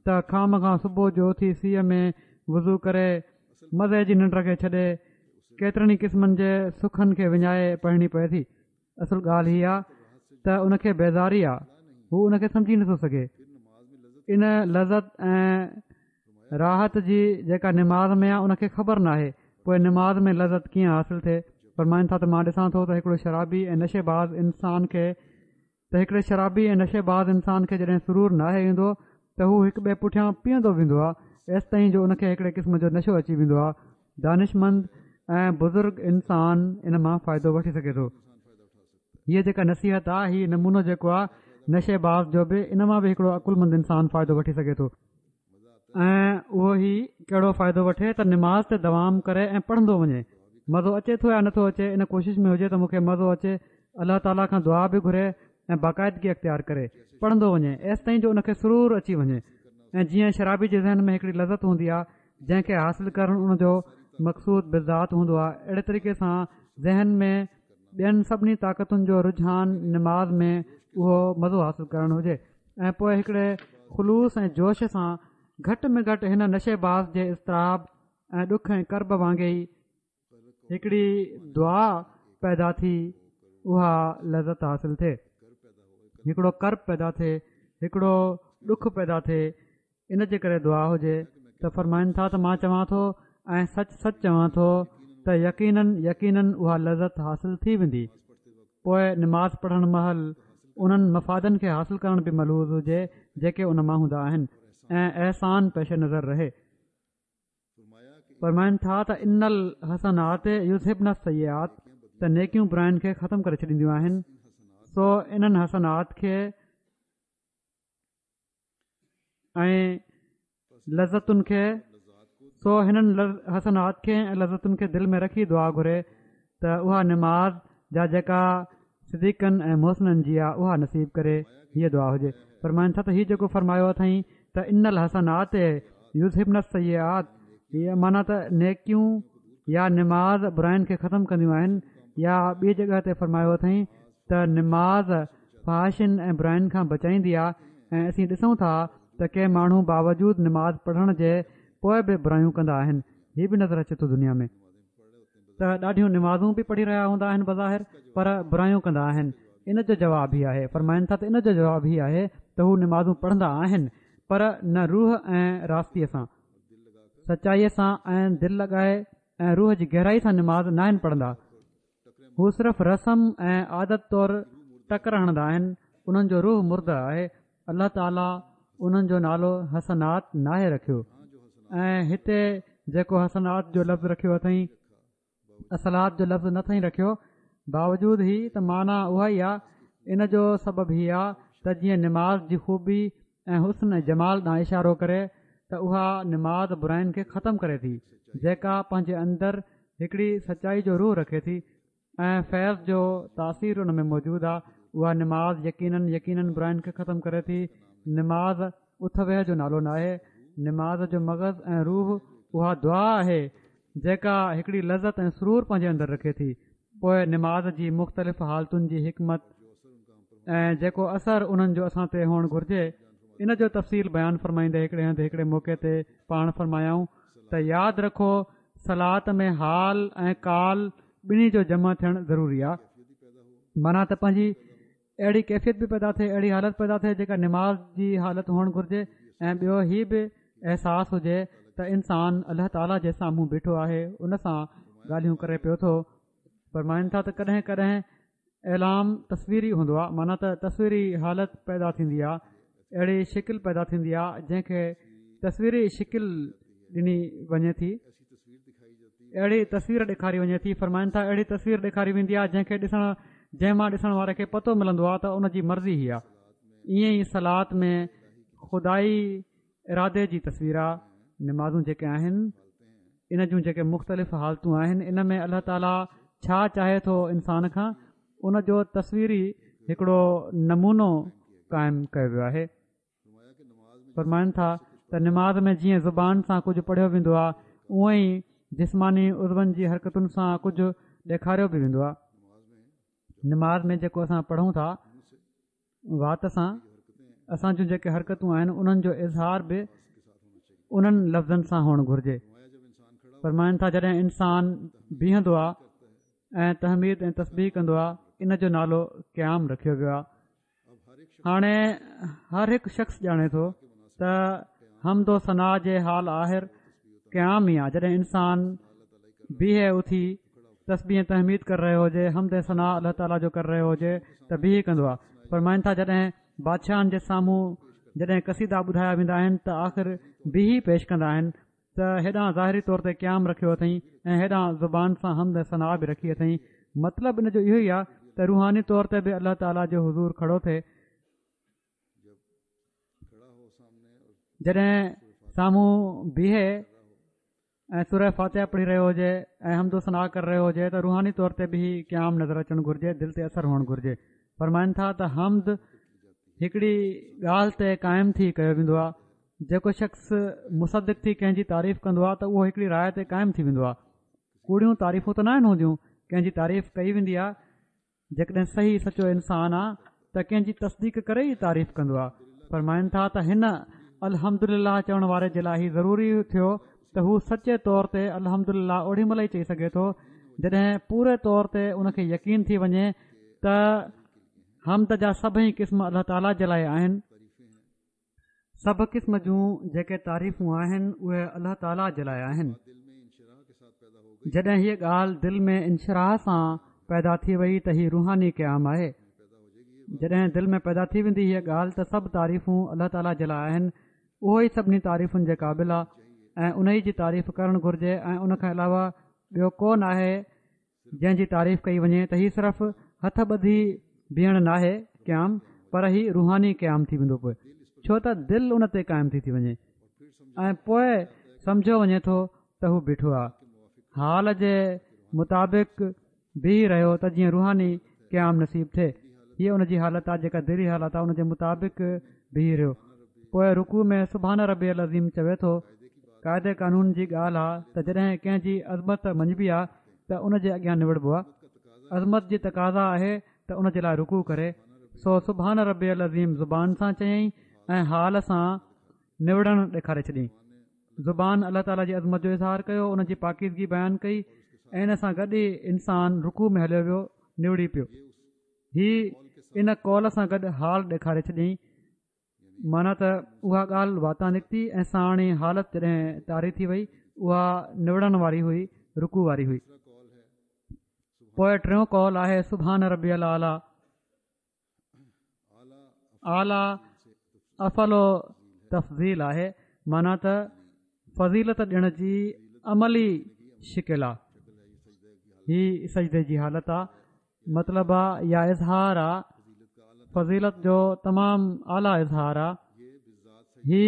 ته خوامخواه صبح جو اٿي سيء ۾ وضو ڪري مزي جي ننڊ کي ڇڏي ڪيترن ئي قسمن جي سکن کي وڃائي پڙهڻي پئي ٿي. اصل ڳالهه هي آ ته ان کي بيزاري آ هو ان کي سمجهي نٿو سگهي. ان لذت ۽ راحت جي جيڪا نماز ۾ آ ان کي خبر ناهي پوء نماز ۾ لذت ڪيئن حاصل ٿئي؟ فرمائن ٿا ته مان ڏسان ٿو ته هڪڙو شرابي ۽ نشي باز انسان کي ته هڪڙي شرابي ۽ نشي باز انسان کي جڏهن سرور ناهي ايندو ته هو هڪ ٻئي پٺيان پيئندو ويندو آ ايستائين جو ان کي هڪڙي قسم جو نشو اچي ويندو آ دانشمند ۽ بزرگ انسان ان مان فائدو وٺي سگهي ٿو هيء جيڪا نصيحت آ هي نمونو جيڪو آ نشي باز جو به ان مان به هڪڙو عقلمند انسان فائدو وٺي سگهي ٿو ۽ اهو هي ڪهڙو فائدو وٺي ته نماز تي دوام ڪري ۽ پڙهندو وڃي مزو اچي ٿو يا نٿو اچي ان ڪوشش ۾ هجي ته مون کي مزو اچي الله تعاليٰ کان دعا به گهري ۽ باقاعدگي اختيار ڪري پڙهندو وڃي ايستائين جو ان کي سرور اچي وڃي ۽ جيئن شرابي جي ذهن ۾ هڪڙي لذت هوندي آهي جنهن کي حاصل ڪرڻ ان جو مقصود بالذات هوندو آهي اهڙي طريقي سان ذهن ۾ ٻين سڀني طاقتن جو رجحان نماز ۾ اهو مزو حاصل ڪرڻ هجي ۽ پوء هڪڙي خلوص ۽ جوش سان گهٽ ۾ گهٽ هن نشي باز جي اضطراب ۽ ڏک ۽ ڪرب وانگي ئي هڪڙي دعا پيدا ٿي اها لذت حاصل ٿئي هڪڙو ڪرب پيدا ٿئي هڪڙو ڏک پيدا ٿئي ان جي ڪري دعا هجي ته فرمائن ٿا ته مان چوان ٿو ۽ سچ سچ چوان ٿو ته يقينن يقينن اها لذت حاصل ٿي ويندي پوء نماز پڙهڻ مهل انهن مفادن کي حاصل ڪرڻ به ملحوظ هجي جيڪي ان مان هوندا آهن ۽ احسان پيش نظر رهي فرمائن ٿا ته ان الحسنات يذهبن السيئات ته نيڪيون براين کي ختم ڪري ڇڏينديون آهن سو انهن حسنات کي ۽ لذتن کي سو هنن حسنات کي ۽ لذتن کي دل ۾ رکي دعا گهري ته اها نماز جا جيڪا صديقن ۽ محسنن جي آ اها نصيب ڪري هيء دعا هجي فرمائن ٿا ته هي جيڪو فرمايو اٿائين ته ان الحسنات يذهبن السيئات هي معنيٰ ته نيڪيون يا نماز براين کي ختم ڪنديون آهن يا ٻي جڳهه تي فرمايو اٿائين ته نماز فحاشين ۽ براين کان بچائيندي آ ۽ اسين ڏسون ٿا ته ڪي ماڻهو باوجود نماز پڙهڻ جي پوء به برايون ڪندا آهن هي به نظر اچي ٿو دنيا ۾ ته ڏاڍيون نمازون به پڙهي رهيا هوندا آهن بظاهر پر برايون ڪندا آهن ان جو جواب هي آهي فرمائن ٿا ته ان جو جواب هي آهي ته هو نمازون پڙهندا آهن پر نه روح ۽ راستيء سان سچائيء سان ۽ دل لڳائي ۽ روح جي گهرائي سان نماز ناهن پڙهندا هو صرف رسم ۽ عادت طور ٽڪر هڻندا آهن انهن جو روح مرده آهي الله تعالي انهن جو نالو حسنات ناهي رکيو ۽ هتي جيڪو حسنات جو لفظ رکيو اٿئين الصلوٰة جو لفظ نه اٿئين رکيو باوجود هي ته معنيٰ اها ئي آهي ان جو سبب هي آهي ته جيئن نماز جي خوبي ۽ حسن ۽ جمال ڏانهن اشارو ڪري ته اها نماز براين کي ختم ڪري ٿي جيڪا پنهنجي اندر هڪڙي سچائي جو روح رکي ٿي ۽ فيض جو تاثير ان ۾ موجود آهي اها نماز يقينن يقينن براين کي ختم ڪري ٿي نماز اٿ ويهه جو نالو ناهي نماز جو مغز ۽ روح اها دعا آهي جيڪا هڪڙي لذت ۽ سرور پنهنجي اندر رکي ٿي پوء نماز جي مختلف حالتن جي حڪمت. ۽ جيڪو اثر انهن جو اسان تي هئڻ گهرجي ان جو تفصيل بيان فرمائيندي هڪڙي هنڌ هڪڙي موقعي تي پاڻ فرمايائون ته ياد رکو صلات ۾ حال ۽ قال ٻنهي جو جمع ٿيڻ ضروري آهي معنيٰ ته پنهنجي اهڙي ڪيفيت به پيدا ٿئي اهڙي حالت پيدا ٿئي جيڪا نماز جي حالت هئڻ گهرجي ۽ ٻيو هي به احساس هجي ته انسان الله تعاليٰ جي سامهون بيٺو آهي ان سان ڳالهيون ڪري پيو ٿو فرمائن ٿا ته ڪڏهن ڪڏهن اعلام تصويري هوندو آهي معنيٰ ته تصويري حالت پيدا ٿيندي آهي اهڙي شڪل پيدا ٿيندي آهي جنهن کي تصويري شڪل ڏني وڃي ٿي اهڙي تصوير ڏيکاري وڃي ٿي فرمائن ٿا اهڙي تصوير ڏيکاري ويندي آهي جنهن کي ڏسڻ جنهن مان ڏسڻ واري کي پتو ملندو آهي ته ان جي مرضي هي آهي ائين ئي صلات ۾ خدائي ارادي جي تصوير آ نمازون جيڪي آهن ان جون جيڪي مختلف حالتون آهن ان ۾ الله تعاليٰ ڇا چاهي ٿو انسان کان ان جو تصويري هڪڙو نمونو قائم ڪيو ويو آهي فرمائن ٿا ته نماز ۾ جيئن زبان سان ڪجهه پڙهيو ويندو آهي اونئن ئي جسماني عضون جي حرڪتن سان ڪجهه ڏيکاريو به ويندو آهي نماز ۾ جيڪو اسان پڙهون ٿا وات سان اسان جون جيڪي حرڪتون آهن انهن جو اظهار به انهن لفظن سان هئڻ گهرجي فرمائن ٿا جڏهن انسان بيهندو آهي ۽ تحميد ۽ تسبيح ڪندو آهي ان جو نالو قيام رکيو ويو آهي هاڻي هر هڪ شخص ڄاڻي ٿو ته حمد و ثنا جي حال آهر قيام ئي آهي جڏهن انسان بيهي اٿي تسبيح ۽ تحميد ڪري رهيو هجي، حمد ۽ ثنا الله تعاليٰ جو ڪري رهيو هجي ته بيهي ڪندو آهي. فرمائن ٿا جڏهن بادشاهن جي سامهون جڏهن قصيدا ٻڌايا ويندا آهن ته آخر بيهي پيش ڪندا آهن ته هيڏانهن ظاهري طور تي قيام رکيو اٿئين ۽ هيڏانهن زبان سان حمد ۽ ثنا به رکي اٿئين مطلب ان جو اهو ئي آهي ته روحاني طور تي به الله تعاليٰ جي حضور کڙو ٿئي جڏهن سامهون بيهي ۽ سوره فاتحه پڙهي رهيو هجي ۽ حمد و ثنا ڪري رهيو هجي ته روحاني طور تي به هي قيام نظر اچڻ گهرجي دل تي اثر هئڻ گهرجي فرمائن ٿا ته حمد هڪڙي ڳالهه تي قائم ٿي ڪيو ويندو آهي جيڪو شخص مصدق ٿي ڪنهن جي تعريف ڪندو آهي ته اهو هڪڙي راء تي قائم ٿي ويندو آهي ڪوڙيون تعريفون ته ناهن هونديون ڪنهن جي تعريف ڪئي ويندي آهي جيڪڏهن صحيح سچو انسان آ ته ڪنهن جي تصديق ڪري ئي تعريف ڪندو آ. فرمائن ٿا ته هن الحمدلله چوڻ واري جي لاء هي ضروري ٿيو ته هو سچي طور تي الحمدلله اوڏي مهل ئي چئي سگهي ٿو جڏهن پوري طور تي ان کي يقين ٿي وڃي ته حمد جا سڀئي قسم الله تعاليٰ جي لاء آهن. سڀ قسم جون جيڪي تعريفون آهن اهي الله تعاليٰ جي لاء آهن جڏهن هيء ڳالهه دل ۾ انشراح سان پيدا ٿي وئي ته هي روحاني قيام آهي جڏهن دل ۾ پيدا ٿي ويندي هيء ڳالهه ته سڀ تعريفون الله تعاليٰ جي لاء آهن اهو ئي سڀني تعريفن جي قابل آهي ۽ ان ئي جي تعريف ڪرڻ گهرجي ۽ ان کان علاوه ٻيو ڪو ناهي جنهن جي تعريف ڪئي وڃي ته هي صرف هٿ ٻڌي بيهڻ ناهي قيام پر هي روحاني قيام ٿي ويندو پوء ڇو ته دل ان تي قائم ٿي ٿي وڃي ۽ پوء سمجهيو وڃي ٿو ته هو بيٺو آهي حال جي مطابق بيهي رهيو ته جيئن روحاني قيام نصيب ٿئي هيء ان جي حالت آهي جيڪا دلي حالت آهي ان جي مطابق بيهي رهيو پوء رڪوع ۾ سبحان ربي العظيم چوي ٿو قاعدي قانون جي ڳالهه آ ته جڏهن ڪنهن جي عظمت مڃبي آ ته ان جي اڳيان نوڙبو آ. عظمت جي تقاضا آهي ته ان جي لاء رڪوع ڪري. سو سبحان ربي العظيم زبان سان چيائين ۽ حال سان نوڙڻ ڏيکاري ڇڏيائين. زبان الله تعاليٰ جي عظمت جو اظهار ڪيو، ان جي پاڪيزگي بيان ڪئي ۽ ان سان گڏ ئي انسان رڪوع ۾ هليو ويو، نوڙي پيو. هي ان قول سان گڏ حال ڏيکاري ڇڏيائين. معنيٰ ته اها ڳالهه واتان نڪتي ۽ ساڻ ئي حالت جڏهن طاري ٿي وئي اها نوڙڻ واري هئي رڪوع واري هئي پوء ٽيون قول آهي سبحان ربي الاعليٰ اعليٰ افعل تفضيل آهي معنيٰ ته فضيلت ڏيڻ جي عملي شڪل آهي هي سجدي جي حالت آهي مطلب آ يا اظهار آ فضيلت جو تمام اعليٰ اظهار آ هي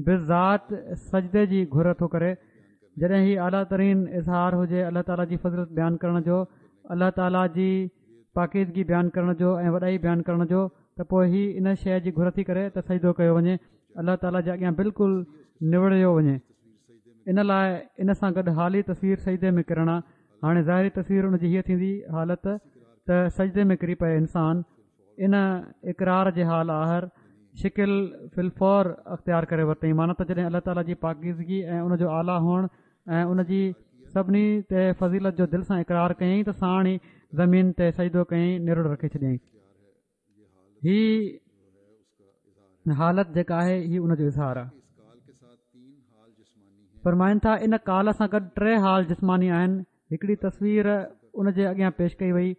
بالذات سجدي جي گهر ٿو ڪري جڏهن هي اعليٰ ترين اظهار هجي الله تعاليٰ جي فضيلت بيان ڪرڻ جو الله تعاليٰ جي پاڪيزگي بيان ڪرڻ جو ۽ وڏائي بيان ڪرڻ جو ته پوء هي ان شيء جي گهر ٿي ڪري ته سجدو ڪيو وڃي الله تعاليٰ جي اڳيان بلڪل نوڙيو وڃي ان لاء ان سان گڏ حالي تصوير سجدي ۾ ڪرڻ آ هاڻي ظاهري تصوير ان جي هيء ٿيندي حالت ته سجدي ۾ ڪري پئي انسان. ان اقرار جي حال آهر شڪل في الفور اختيار ڪري ورتائين معنيٰ ته جڏهن الله تعاليٰ جي پاڪيزگي ۽ ان جو اعليٰ هئڻ ۽ ان جي سڀني تي فضيلت جو دل سان اقرار ڪيائين ته ساڻ ئي زمين تي سجدو ڪيائين نرڙ رکي ڇڏيائين هي حالت جيڪا آهي هي ان جو اظهار آهي فرمائن ٿا ان قال سان گڏ ٽي حال جسماني آهن هڪڙي تصوير ان جي اڳيان پيش ڪئي وئي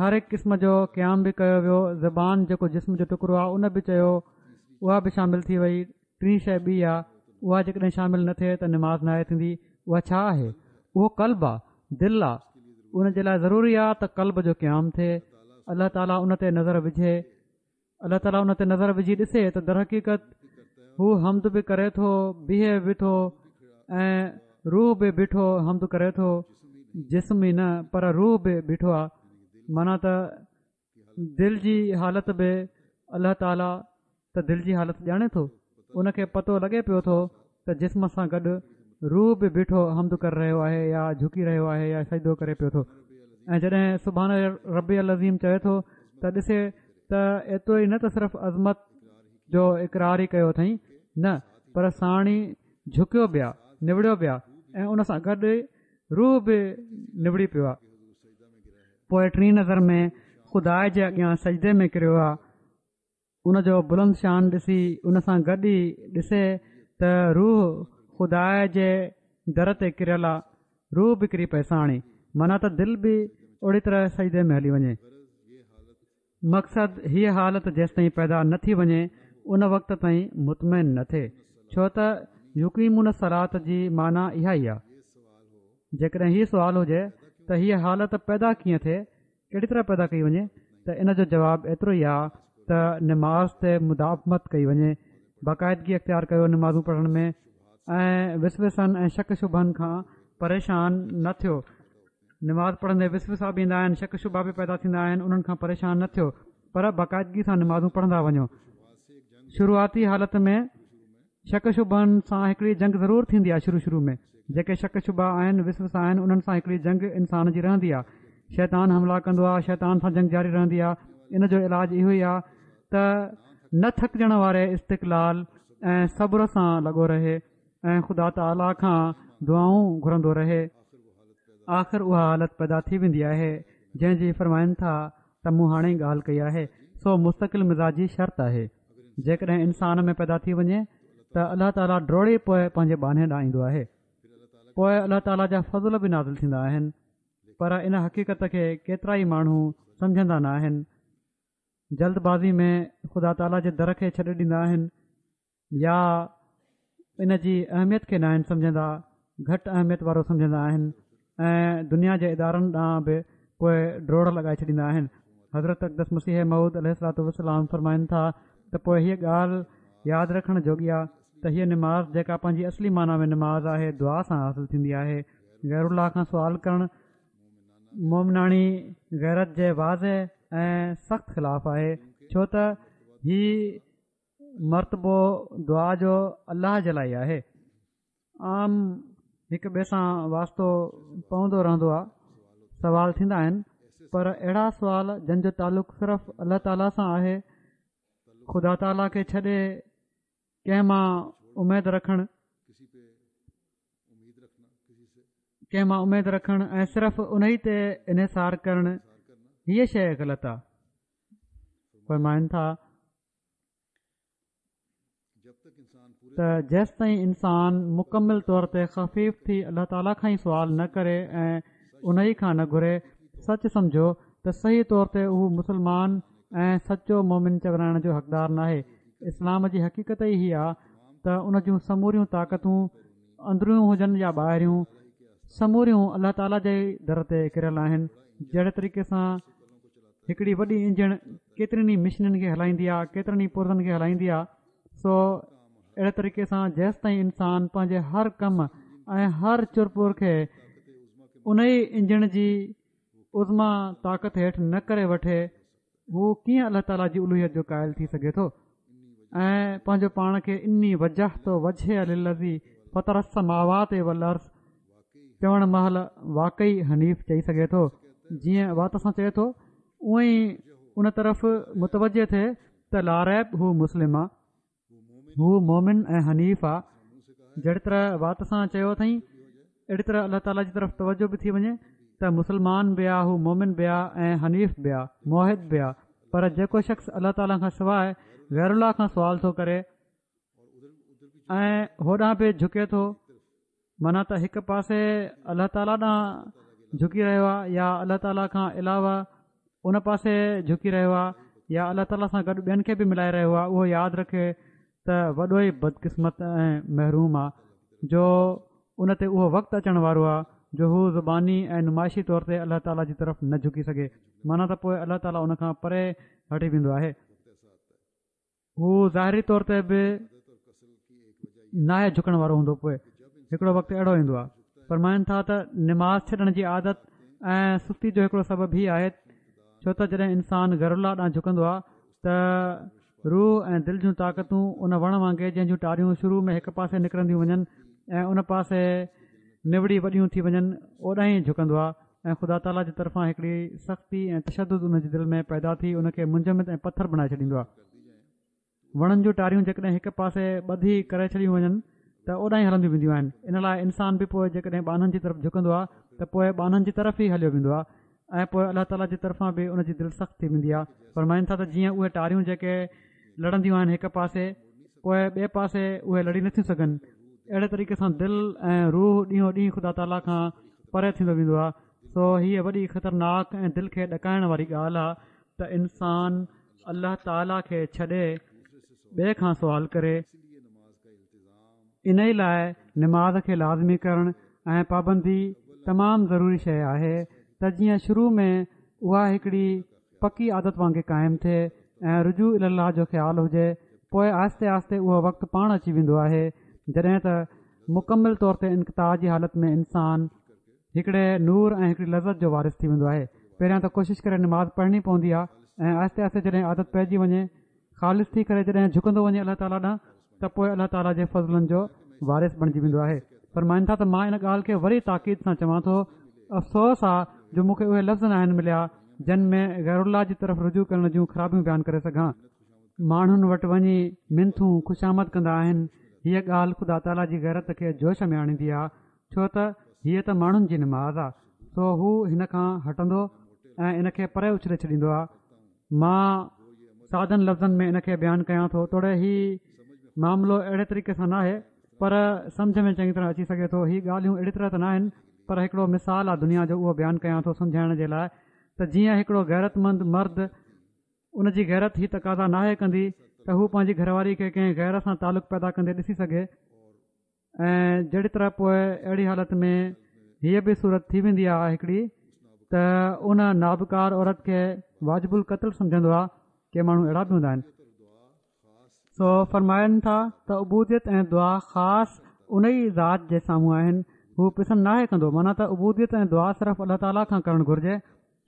هر هڪ قسم جو قيام به ڪيو ويو زبان جيڪو جسم جو ٽڪرو آهي ان به چيو اها به شامل ٿي وئي ٽين شيء ٻي آهي اها جيڪڏهن شامل نه ٿئي ته نماز ناهي ٿيندي اها ڇا آهي اهو قلب آهي دل آهي ان جي لاء ضروري آهي ته قلب جو قيام ٿئي الله تعاليٰ ان تي نظر وجهي الله تعاليٰ ان تي نظر وجهي ڏسي ته درحقيقت هو حمد به ڪري ٿو بيهي به ٿو ۽ روح به بيٺو حمد ڪري ٿو جسم ئي نه پر روح به بيٺو آهي معنيٰ ته دل جي حالت به الله تعاليٰ ته دل جي حالت ڄاڻي ٿو ان کي پتو لڳي پيو ٿو ته جسم سان گڏ روح به بيٺو حمد ڪري رهيو آهي يا جهڪي رهيو آهي يا سجدو ڪري پيو ٿو ۽ جڏهن سبحان ربي العظيم چوي ٿو ته ڏسي ته ايترو ئي نه ته صرف عظمت جو اقرار ئي ڪيو اٿئي نه پر ساڻ ئي جهڪيو به آ نوڙيو به آ ۽ ان سان گڏ روح به نوڙي پيو آ پوء ٽين نظر ۾ خدا جي اڳيان سجدي ۾ ڪريو آ ان جو بلند شان ڏسي ان سان گڏ ئي ڏسي ته روح خدا جي در تي ڪريل آ، روح به ڪري پئي ساڻ ئي، معنيٰ ته دل به اوڙي طرح سجدي ۾ هلي وڃي. مقصد هيء حالت جيستائين پيدا نه ٿي وڃي ان وقت تائين مطمئن نه ٿئي، ڇو ته يقيمون الصلوة جي معنيٰ اها ئي آ. جيڪڏهن هي سوال هجي ته هيء حالت پيدا ڪيئن ٿئي؟ ڪهڙي طرح پيدا ڪئي وڃي ته ان جو جواب ايترو ئي آ ته نماز تي مداومت ڪئي وڃي، باقاعدگي اختيار ڪيو نمازون پڙهڻ ۾ ۽ وسوسن ۽ شڪ شبهن کان پريشان نه ٿيو، نماز پڙهندي وسوسا به ايندا آهن شڪ شبها به پيدا ٿيندا آهن انهن کان پريشان نه ٿيو پر باقاعدگي سان نمازون پڙهندا وڃو شروعاتي حالت ۾ شڪ شبهن سان هڪڙي جنگ ضرور ٿيندي آهي شروع شروع ۾ جيڪي شڪ شبها آهن وسوسا آهن انهن سان هڪڙي جنگ انسان جي رهندي آهي شيطان حملا ڪندو آهي شيطان سان جنگ جاري رهندي آهي ان جو علاج اهو ئي آهي ته نه ٿڪجڻ واري استقلال ۽ صبر سان لڳو رهي ۽ خدا تعاليٰ کان دعائون گهرندو رهي آخر اها حالت پيدا ٿي ويندي آهي جنهن جي فرمائن ٿا ته مون هاڻي ئي ڳالهه ڪئي آهي سو مستقل مزاجي شرط آهي جيڪڏهن انسان ۾ پيدا ٿي وڃي ته الله تعاليٰ ڊوڙي پوء پنهنجي ٻانهي ڏانهن ايندو آهي پوء الله تعاليٰ جا فضل به نازل ٿيندا آهن پر ان حقيقت کي ڪيترا ئي ماڻهو سمجهندا نه آهن جلد بازي ۾ خدا تعاليٰ جي در کي ڇڏي ڏيندا آهن يا ان جي اهميت کي ناهن سمجهندا، گهٽ اهميت وارو سمجهندا آهن ۽ دنيا جي ادارن ڏانهن به پوء ڊوڙ لڳائي ڇڏيندا آهن. حضرت اقدس مسيح موعود عليه الصلوة والسلام فرمائن ٿا ته پوء هيء ڳالهه ياد رکڻ جوڳي آ ته هيء نماز جيڪا پنهنجي اصلي معنيٰ ۾ نماز آهي دعا سان حاصل ٿيندي آهي غير الله کان سوال ڪرڻ مومناڻي غيرت جي واضح ۽ سخت خلاف آهي ڇو ته هي مرتبو دعا جو الله جي لاء آهي عام هڪ ٻئي سان واسطو پوندو رهندو آهي سوال ٿيندا آهن پر اهڙا سوال جن جو تعلق صرف الله تعاليٰ سان آهي خدا تعاليٰ کي ڇڏي ڪنهن مان اميد رکڻ ڪنهن مان اميد رکڻ ۽ صرف ان ئي تي انحصار ڪرڻ هيء شيء غلط آهي فرمائن ٿا ته جيستائين انسان مڪمل طور تي خفيف ٿي الله تعاليٰ کان ئي سوال نه ڪري ۽ ان ئي کان نه گهري سچ سمجهو ته صحيح طور تي اهو مسلمان ۽ سچو مومن چورائڻ جو حقدار ناهي اسلام جي حقيقت ئي هي آ ته ان جون سموريون طاقتون اندريون هجن يا ٻاهريون سموريون الله تعاليٰ جي در تي ڪريل آهن جهڙي طريقي سان هڪڙي وڏي انجڻ ڪيترين ئي مشنن کي هلائيندي آهي ڪيترن ئي پرزن کي هلائيندي آهي سو اهڙي طريقي سان جيستائين انسان پنهنجي هر ڪم ۽ هر چرپر کي ان ئي انجڻ جي عظميٰ طاقت هيٺ نه ڪري وٺي هو ڪيئن الله تعاليٰ جي الوهيت جو قائل ٿي سگهي ٿو ۽ پنهنجو پاڻ کي اني وجهت وجهي للذي فطر السماوات والارض چوڻ مهل واقعي حنيف چئي سگهي ٿو جيئن وات سان چئي ٿو اونئن ئي ان طرف متوجه ٿئي ته لاريب هو مسلم آ، هو مومن ۽ حنيف آ، جهڙي طرح وات سان چيو اٿئين اهڙي طرح الله تعاليٰ جي طرف توجه به ٿي وڃي ته مسلمان به آ، هو مومن به آ ۽ حنيف به آ، موحد به آ، پر جيڪو شخص الله تعاليٰ کان سواء غير الله کان سوال ٿو ڪري ۽ هوڏانهن به جهڪي ٿو معنيٰ ته هڪ پاسي الله تعاليٰ ڏانهن جهڪي رهيو آهي يا الله تعاليٰ کان علاوه ان پاسي جهڪي رهيو آهي يا الله تعاليٰ سان گڏ ٻين کي به ملائي رهيو آهي اهو ياد رکي ته وڏو ئي بدقسمت ۽ محروم آهي جو ان تي اهو وقت اچڻ وارو آهي جو هو زباني ۽ نمائشي طور تي الله تعاليٰ جي طرف نه جهڪي سگهي معنيٰ ته پوء الله تعاليٰ ان کان پري هٽي ويندو آهي هو ظاهري طور تي به ناهي جهڪڻ وارو هوندو پوء هڪڙو وقت اهڙو ايندو آهي فرمائن ٿا ته نماز ڇڏڻ جي عادت ۽ سستي جو هڪڙو سبب هي آهي ڇو ته جڏهن انسان غير الله ڏانهن جهڪندو آهي ته روح ۽ دل جون طاقتون ان وڻ وانگي جنهن جون ٽاريون شروع ۾ هڪ پاسي نڪرنديون وڃن ۽ ان پاسي نوڙي وڏيون ٿي وڃن اوڏانهن ئي جهڪندو آهي ۽ خدا تعاليٰ جي طرفان هڪڙي سختي ۽ تشدد ان جي دل ۾ پيدا ٿي ان کي منجمد ۽ پٿر بڻائي ڇڏيندو آهي. وڻن جون ٽاريون جيڪڏهن هڪ پاسي ٻڌي ڪري ڇڏيون وڃن ته اوڏانهن ئي هلنديون وينديون آهن. ان لاء انسان به پوء جيڪڏهن ٻانهن جي طرف جهڪندو آهي ته پوء ٻانهن جي طرف ئي هليو ويندو آهي ۽ پوء الله تعاليٰ جي طرفان به ان جي دل سخت ٿي ويندي آهي. فرمائن ٿا ته جيئن اهي ٽاريون جيڪي لڙنديون آهن هڪ پاسي پوء ٻئي پاسي اهي لڙي نٿيون سگهن اهڙي طريقي سان دل ۽ روح ڏينهون ڏينهن خدا تعاليٰ کان پري ٿيندو ويندو آهي سو هيء وڏي خطرناڪ ۽ دل کي ڏڪائڻ واري ڳالهه آهي ته انسان الله تعاليٰ کي ڇڏي ٻئي کان سوال ڪري. انهي لاء نماز کي لازمي ڪرڻ ۽ پابندي تمام ضروري شيء آهي ته جيئن شروع ۾ اها هڪڙي پڪي عادت وانگي قائم ٿئي ۽ رجوع الي الله جو خيال هجي پوء آهستي آهستي اهو وقت پاڻ اچي ويندو آهي جڏهن ته مڪمل طور تي انقطاع جي حالت ۾ انسان هڪڙي نور ۽ هڪڙي لذت جو وارث ٿي ويندو آهي پهريان ته ڪوشش ڪري نماز پڙهڻي پوندي آهي ۽ آهستي آهستي جڏهن عادت پئجي وڃي خالص ٿي ڪري جڏهن جهڪندو وڃي الله تعاليٰ ڏانهن ته پوء الله تعاليٰ جي فضلن جو وارث بڻجي ويندو آهي. فرمائن ٿا ته مان ان ڳالهه کي وري تاڪيد سان چوان ٿو، افسوس آ جو مون کي اهي لفظ ناهن مليا جن ۾ غير الله جي طرف رجوع ڪرڻ جون خرابيون بيان ڪري سگهان. ماڻهن وٽ وڃي منٿون خوشامد ڪندا آهن، هيء ڳالهه خدا تعاليٰ جي غيرت کي جوش ۾ آڻيندي آ، ڇو ته هيء ته ماڻهن جي نماز آ، سو هو هن کان هٽندو ۽ ان کي پري اڇلي ڇڏيندو آ. مان سادن لفظن ۾ ان کي بيان ڪيان ٿو توڙي هي معاملو اهڙي طريقي سان ناهي پر سمجه ۾ چڱي طرح اچي سگهي ٿو هي ڳالهيون اهڙي طرح ته ناهن پر هڪڙو مثال آ دنيا جو اهو بيان ڪيان ٿو سمجهائڻ جي لاء ته جيئن هڪڙو غيرت مند مرد ان جي غيرت هي تقاضا ناهي ڪندي ته هو پنهنجي گهر واري کي ڪنهن غير سان تعلق پيدا ڪندي ڏسي سگهي ۽ جهڙي طرح پوء اهڙي حالت ۾ هيء به صورت ٿي ويندي آهي هڪڙي ته ان نابڪار عورت کي واجب القتل سمجهندو آهي ڪي ماڻهو اهڙا به هوندا آهن سو فرمائن ٿا ته عبوديت ۽ دعا خاص ان ئي ذات جي سامهون آهن هو پسند ناهي ڪندو معنيٰ ته عبوديت ۽ دعا صرف الله تعاليٰ کان ڪرڻ گهرجي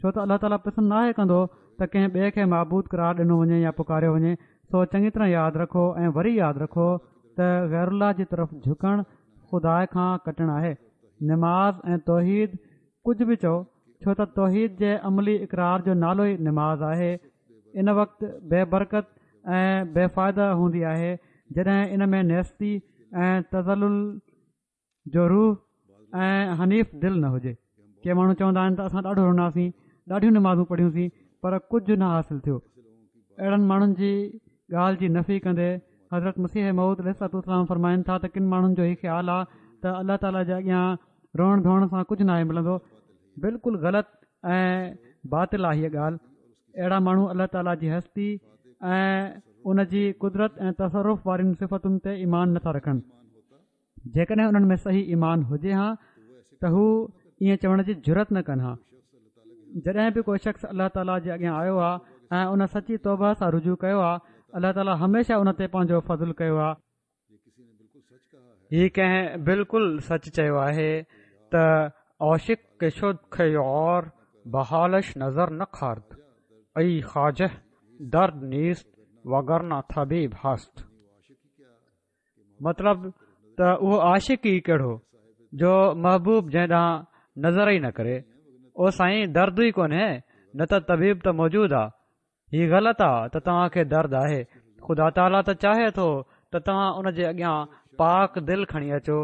ڇو ته الله تعاليٰ پسند ناهي ڪندو ته ڪنهن ٻئي کي معبود قرار ڏنو وڃي يا پڪاريو وڃي، سو چڱي طرح ياد رکو ۽ وري ياد رکو ته غير الله جي طرف جهڪڻ خدا کان ڪٽڻ آهي. نماز ۽ توحيد ڪجهه به چئو، ڇو ته توحيد جي عملي اقرار جو نالو ئي نماز آهي، ان وقت بي برڪت ۽ بي فائده هوندي آهي جڏهن ان ۾ نيستي ۽ تذلل جو روح ۽ حنيف دل نه هجي. ڪي ماڻهو چوندا آهن ته اسان ڏاڍو رناسين، ڏاڍيون نمازون پڙهيونسين پر ڪجهه نه حاصل ٿيو. اهڙن ماڻهن جي ڳالهه جي نفي ڪندي حضرت مسيح موعود عليه الصلوة والسلام فرمائن ٿا ته ڪن ماڻهن جو هي خيال آهي ته الله تعاليٰ جي اڳيان روئڻ ڌوئڻ سان ڪجهه ناهي ملندو. بلڪل غلط ۽ باطل آهي هيء ڳالهه. اهڙا ماڻهو الله تعاليٰ جي هستي ۽ ان جي قدرت ۽ تصرف وارين صفتن تي ايمان نٿا رکن. جيڪڏهن انهن ۾ صحيح ايمان هجي ها ته هو ائين چوڻ جي جرئت نه ڪن ها جڏهن به ڪو شخص الله تعاليٰ جي اڳيان آيو آهي ۽ ان سچي توبه سان رجوع ڪيو آهي الله تعاليٰ هميشه ان تي پنهنجو فضل ڪيو آهي هي ڪنهن بلڪل سچ چيو آهي ته عاشق که شد که یار بحالش نظر نکرد ای خواجه درد نیست وگرنه طبیب هست مطلب ته اهو عاشق ئي ڪهڙو جو محبوب جنهن ڏانهن نظر ئي نه ڪري. او سائين درد ئي ڪونهي نه ته طبيب ته موجود آ. هي غلط آ ته توهان کي درد آهي. خدا تعاليٰ ته چاهي ٿو ته توهان ان جي اڳيان پاڪ دل کڻي اچو.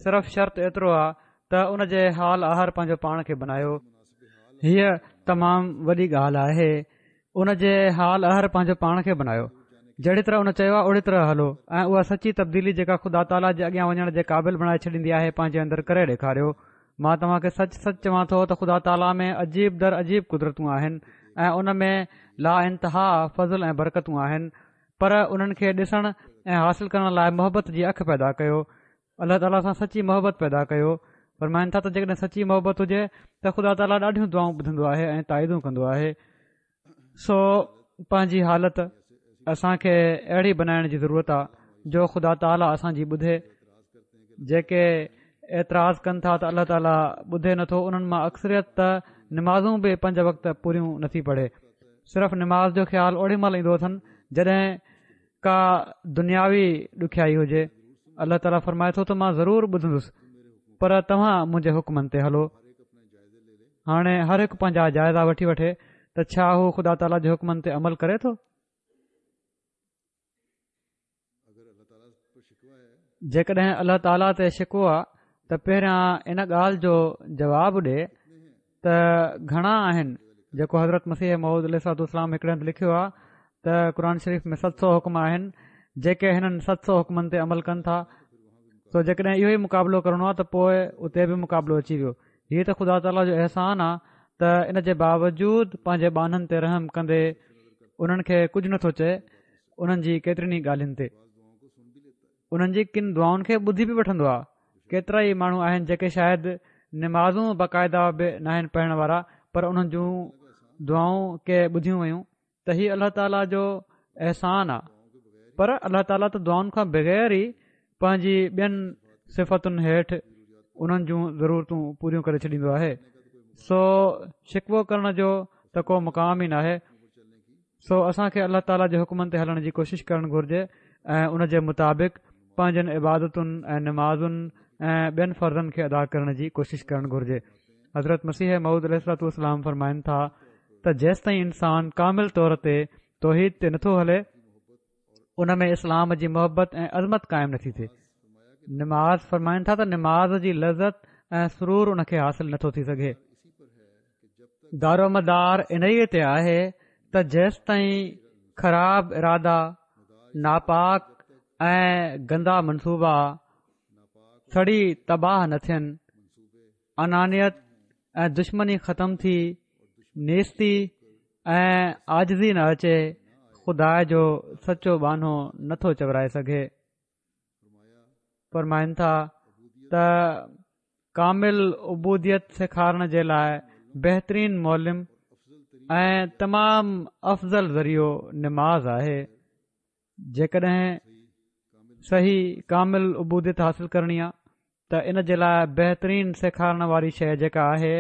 صرف شرط ايترو آ ته ان جي حال آهر پنهنجو پاڻ کي بنايو. هيء تمام وڏي ڳالهه آهي. ان جي حال آهر پنهنجو پاڻ کي بنايو. جهڙي طرح ان چيو آهي اهڙي طرح هلو ۽ اها سچي تبديلي جيڪا خدا تعاليٰ جي اڳيان وڃڻ جي قابل بڻائي ڇڏيندي آهي پنهنجي اندر ڪري ڏيکاريو. مان توهان کي سچ سچ چوان ٿو ته خدا تعاليٰ ۾ عجيب در عجيب قدرتون آهن ۽ ان ۾ لا انتها فضل ۽ برڪتون آهن پر انهن کي ڏسڻ ۽ حاصل ڪرڻ لاء محبت جي اک پيدا ڪيو الله تعاليٰ سان سچي محبت پيدا ڪيو فرمائن ٿا ته جيڪڏهن سچي محبت هجي ته خدا تعاليٰ ڏاڍيون دعائون ٻڌندو آهي ۽ تائيدون ڪندو آهي سو پنهنجي حالت اسان کي اهڙي بنائڻ جي ضرورت آ جو خدا تعاليٰ اسان جي ٻڌي جيڪي اعتراض ڪن ٿا ته الله تعاليٰ ٻڌي نٿو انهن مان اڪثريت ته نمازون به پنج وقت پوريون نٿي پڙهي صرف نماز جو خيال اوڏي مهل ايندو اٿن جڏهن ڪا دنياوي ڏکيائي هجي الله تعاليٰ فرمائي ٿو ته مان ضرور ٻڌندس پر توهان منهنجي حڪمن تي هلو هاڻي هر هڪ پنهنجا جائزا وٺي وٺي ته ڇا هو خدا تعاليٰ جي حڪمن تي عمل ڪري ٿو؟ جيڪڏهن الله تعاليٰ تي شڪوو آ ته پهريان ان ڳالهه جو جواب ڏي ته گهڻا آهن جيڪو حضرت مسيح موعود عليه الصلوة والسلام هڪڙي هنڌ لکيو آ ته قرآن شريف ۾ ست سو حڪم آهن جيڪي هنن ست سو حڪمن تي عمل ڪن ٿا سو جيڪڏهن اهو ئي مقابلو ڪرڻو آ ته پوء اتي به مقابلو اچي ويو هيء ته خدا تعاليٰ جو احسان آ ته ان جي باوجود پنهنجي ٻانهن تي رحم ڪندي انهن کي ڪجهه نٿو چئي انهن جي ڪيترين ئي ڳالهين تي انهن جي ڪن دعائن کي ٻڌي به وٺندو آ ڪيترا ئي ماڻهو آهن جيڪي شايد نمازون باقاعده به ناهن پڙهڻ وارا پر انهن جون دعائون ڪي ٻڌيون ويون ته هي الله تعاليٰ جو احسان آ پر الله تعاليٰ ته دعائن کان بغير ئي پنهنجي ٻين صفتن هيٺ انهن جون ضرورتون پوريون ڪري ڇڏيندو آهي سو شڪوو ڪرڻ جو ته ڪو مقام ئي ناهي سو اسان کي الله تعاليٰ جي حڪمن تي هلڻ جي ڪوشش ڪرڻ گهرجي ۽ ان جي مطابق پنهنجن عبادتن ۽ نمازن ۽ ٻين فرضن کي ادا ڪرڻ جي ڪوشش ڪرڻ گهرجي حضرت مسيح موعود عليه الصلوة والسلام فرمائن ٿا ته جيستائين انسان ڪامل طور تي توحيد تي نٿو هلي ان ۾ اسلام جي محبت ۽ عظمت قائم نٿي ٿئي نماز فرمائن ٿا ته نماز جي لذت ۽ سرور ان کي حاصل نٿو ٿي سگهي دارومدار انهيء تي آهي ته جيستائين خراب ارادا ناپاڪ ۽ گندا منصوبا سڙي تباهه نه ٿين انانيت ۽ دشمني ختم ٿي نيستي ۽ عاجزي نه اچي خدا جو سچو ٻانهو نٿو چورائي سگهي فرمائن ٿا ته ڪامل عبوديت سيکارڻ جي لاء بهترين معلم ۽ تمام افضل ذريعو نماز آهي جيڪڏهن صحيح ڪامل عبوديت حاصل ڪرڻي آ ته ان جي لاء بهترين سيکارڻ واري شيء جيڪا آهي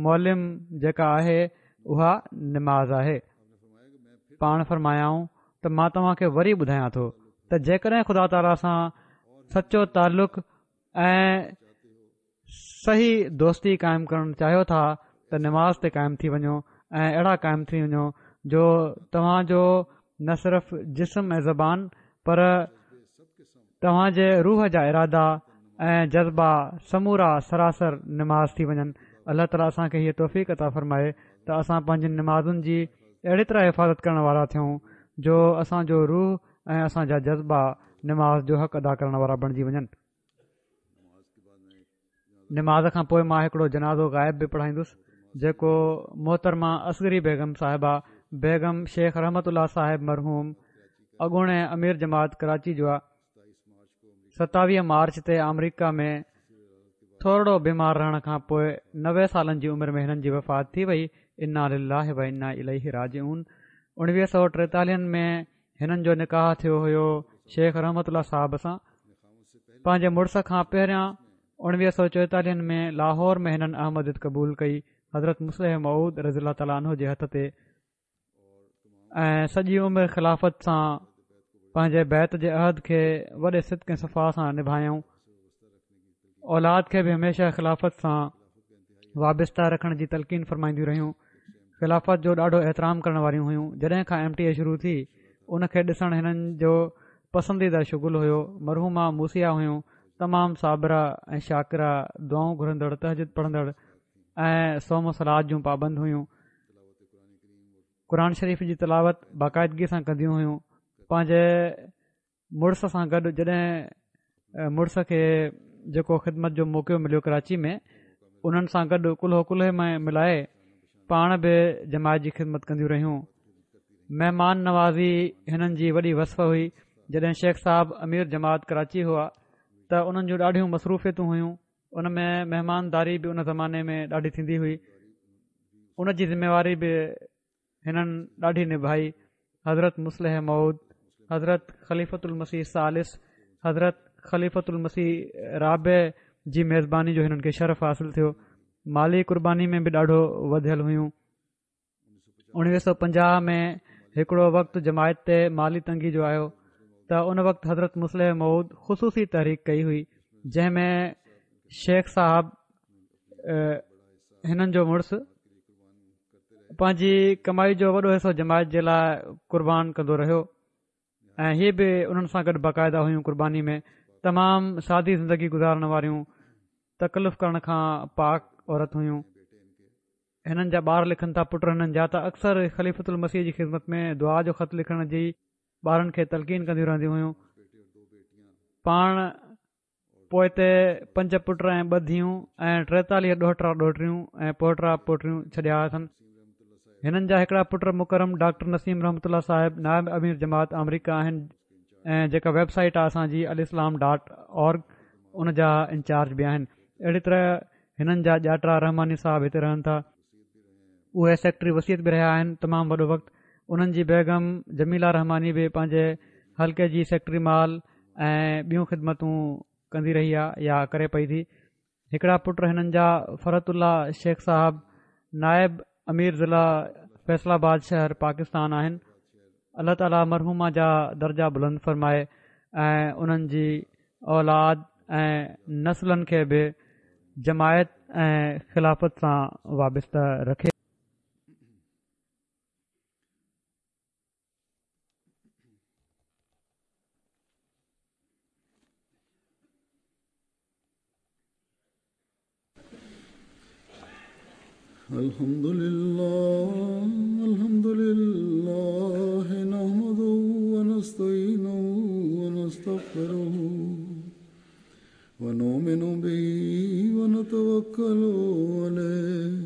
معلم جيڪا آهي اها نماز آهي پاڻ فرمايائون ته مان توهان کي وري ٻڌايان ٿو ته جيڪڏهن خدا تعاليٰ سان سچو تعلق ۽ صحيح دوستي قائم ڪرڻ چاهيو ٿا ته نماز تي قائم ٿي وڃو ۽ اهڙا قائم ٿي وڃو جو توهان جو نه صرف جسم ۽ زبان پر توهان جي روح جا ارادا ۽ جذبا سمورا سراسر نماز ٿي وڃن الله تعاليٰ اسان کي هيء توفيق عطا فرمائي ته اسان پنهنجين نمازن جي اهڙي طرح حفاظت ڪرڻ وارا ٿيون جو اسان جو روح ۽ اسان جا جذبا نماز جو حق ادا ڪرڻ وارا بڻجي وڃن نماز کان پوء مان هڪڙو جنازو غائب به پڙهائيندس جيڪو محترمه اصغري بيگم صاحبه بيگم شيخ رحمت الله صاحب مرحوم اڳوڻي امير جماعت ڪراچي جو آ 27 مارچ تي آمريڪا ۾ ٿورڙو بيمار رهڻ کان پوء 90 سالن جي عمر ۾ هنن جي وفات ٿي وئي انا لله و انا اليه راجعون 1943 ۾ هنن جو نڪاح ٿيو هيو شيخ رحمت الله صاحب سان پنهنجي مڙس کان پهريان 1944 ۾ لاهور ۾ هنن احمديت قبول ڪئي حضرت مصلح موعود رضي الله تعاليٰ عنه جي هٿ تي ۽ سڄي عمر خلافت سان پنهنجي بيعت جي عهد کي وڏي صدق ۽ صفا سان نڀايائون اولاد کي به هميشه خلافت سان وابسته رکڻ جي تلقين فرمائينديون رهيون. خلافت جو ڏاڍو احترام ڪرڻ واريون هيون جڏهن کان ايم ٽي اي شروع ٿي ان کي ڏسڻ هنن جو پسنديده شغل هيو مرحومه موصيه هيون تمام صابره ۽ شاڪره دعائون گهرندڙ تهجد پڙهندڙ ۽ صوم و صلوة جون پابند هيون قرآن شريف جي تلاوت باقاعدگي سان ڪنديون هيون پنهنجي مڙس سان گڏ جڏهن مڙس کي جيڪو خدمت جو موقعو مليو ڪراچي ۾ انهن سان گڏ ڪلهو ڪلهي ۾ ملائي پاڻ به جماعت جي خدمت ڪنديون رهيون مهمان نوازي هنن جي وڏي وصف هئي جڏهن شيخ صاحب امير جماعت ڪراچي هئا ته انهن جون ڏاڍيون مصروفيتون هيون ان ۾ مهمانداري به ان زماني ۾ ڏاڍي ٿيندي هئي ان جي ذميواري به هنن ڏاڍي نڀائي. حضرت مصلح موعود، حضرت خليفة المسيح ثالث، حضرت خليفة المسيح رابع جي ميزباني جو هنن کي شرف حاصل ٿيو. مالي قرباني ۾ به ڏاڍو وڌيل هيون. 1950 ۾ هڪڙو وقت جماعت تي مالي تنگي جو آيو ته ان وقت حضرت مصلح موعود خصوصي تحريڪ ڪئي هئي جنهن ۾ شيخ صاحب هنن جو مڙس پنهنجي ڪمائي جو وڏو حصو جماعت جي لاء قربان ڪندو رهيو ۽ هي به انهن سان گڏ باقاعده هيون قرباني ۾ تمام سادي زندگي گذارڻ واريون تڪلف ڪرڻ کان پاڪ عورت هيون هنن جا ٻار لکن ٿا پٽ هنن جا ته اڪثر خليفت المسيح جي خدمت ۾ دعا جو خط لکڻ جي ٻارن کي تلقين ڪنديون رهنديون هيون پاڻ پوئتي پنج پٽ ۽ ٻه ڌيئون ۽ 43 ڏوهٽا ڏوهٽريون ۽ پوٽا پوٽريون ڇڏيا اٿن. هنن جا هڪڙا پٽ مڪرم ڊاڪٽر نسيم رحمت الله صاحب نائب امير جماعت آمريڪا آهن ۽ جيڪا ويب سائيٽ آهي اسان جي الاسلام ڊاٽ اورگ ان جا انچارج به آهن. اهڙي طرح هنن جا ڄاٽا رحماني صاحب هتي رهن ٿا. اهي سيڪريٽري وصيت به رهيا آهن تمام وڏو وقت انهن جي بيگم جميله رحماني به پنهنجي حلقي جي سيڪريٽري مال ۽ ٻيون خدمتون ڪندي رهي آهي يا ڪري پئي ٿي هڪڙا پٽ هنن جا فرحت الله شيخ صاحب نائب امير ضلع فيصل آباد شهر پاڪستان آهن الله تعاليٰ مرحومه جا درجا بلند فرمائي ۽ انهن جي اولاد ۽ نسلن کي به جماعت ۽ خلافت سان وابسته رکي. الحمد لله الحمد لله نحمده ونستعينه ونستغفره ونؤمن به ونتوكل عليه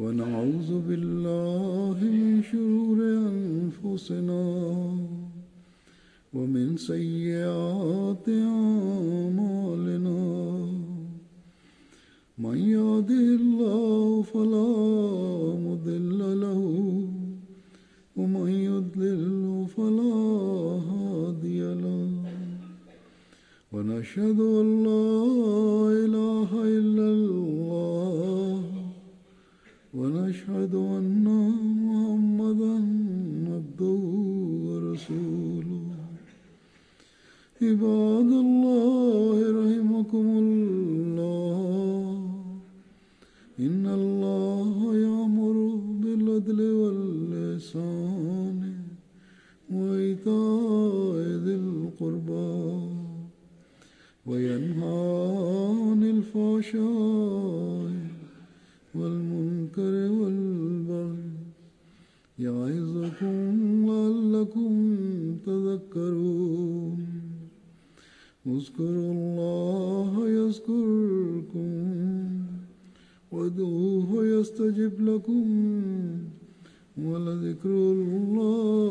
ونعوذ بالله من شرور أنفسنا ومن سيئات أعمالنا من يهده الله فلا مضل له ومن يضلل فلا هادي له ونشهد أن لا إله إلا الله ونشهد أن محمدا عبده ورسوله عباد الله رحمكم الله إن الله يأمر بالعدل والإحسان وإيتاء ذي القربى وينهى عن الفحشاء والمنكر والبغي يعظكم لعلكم تذكرون اذكروا الله يذكركم وادعوه يستجب لكم ولذكر الله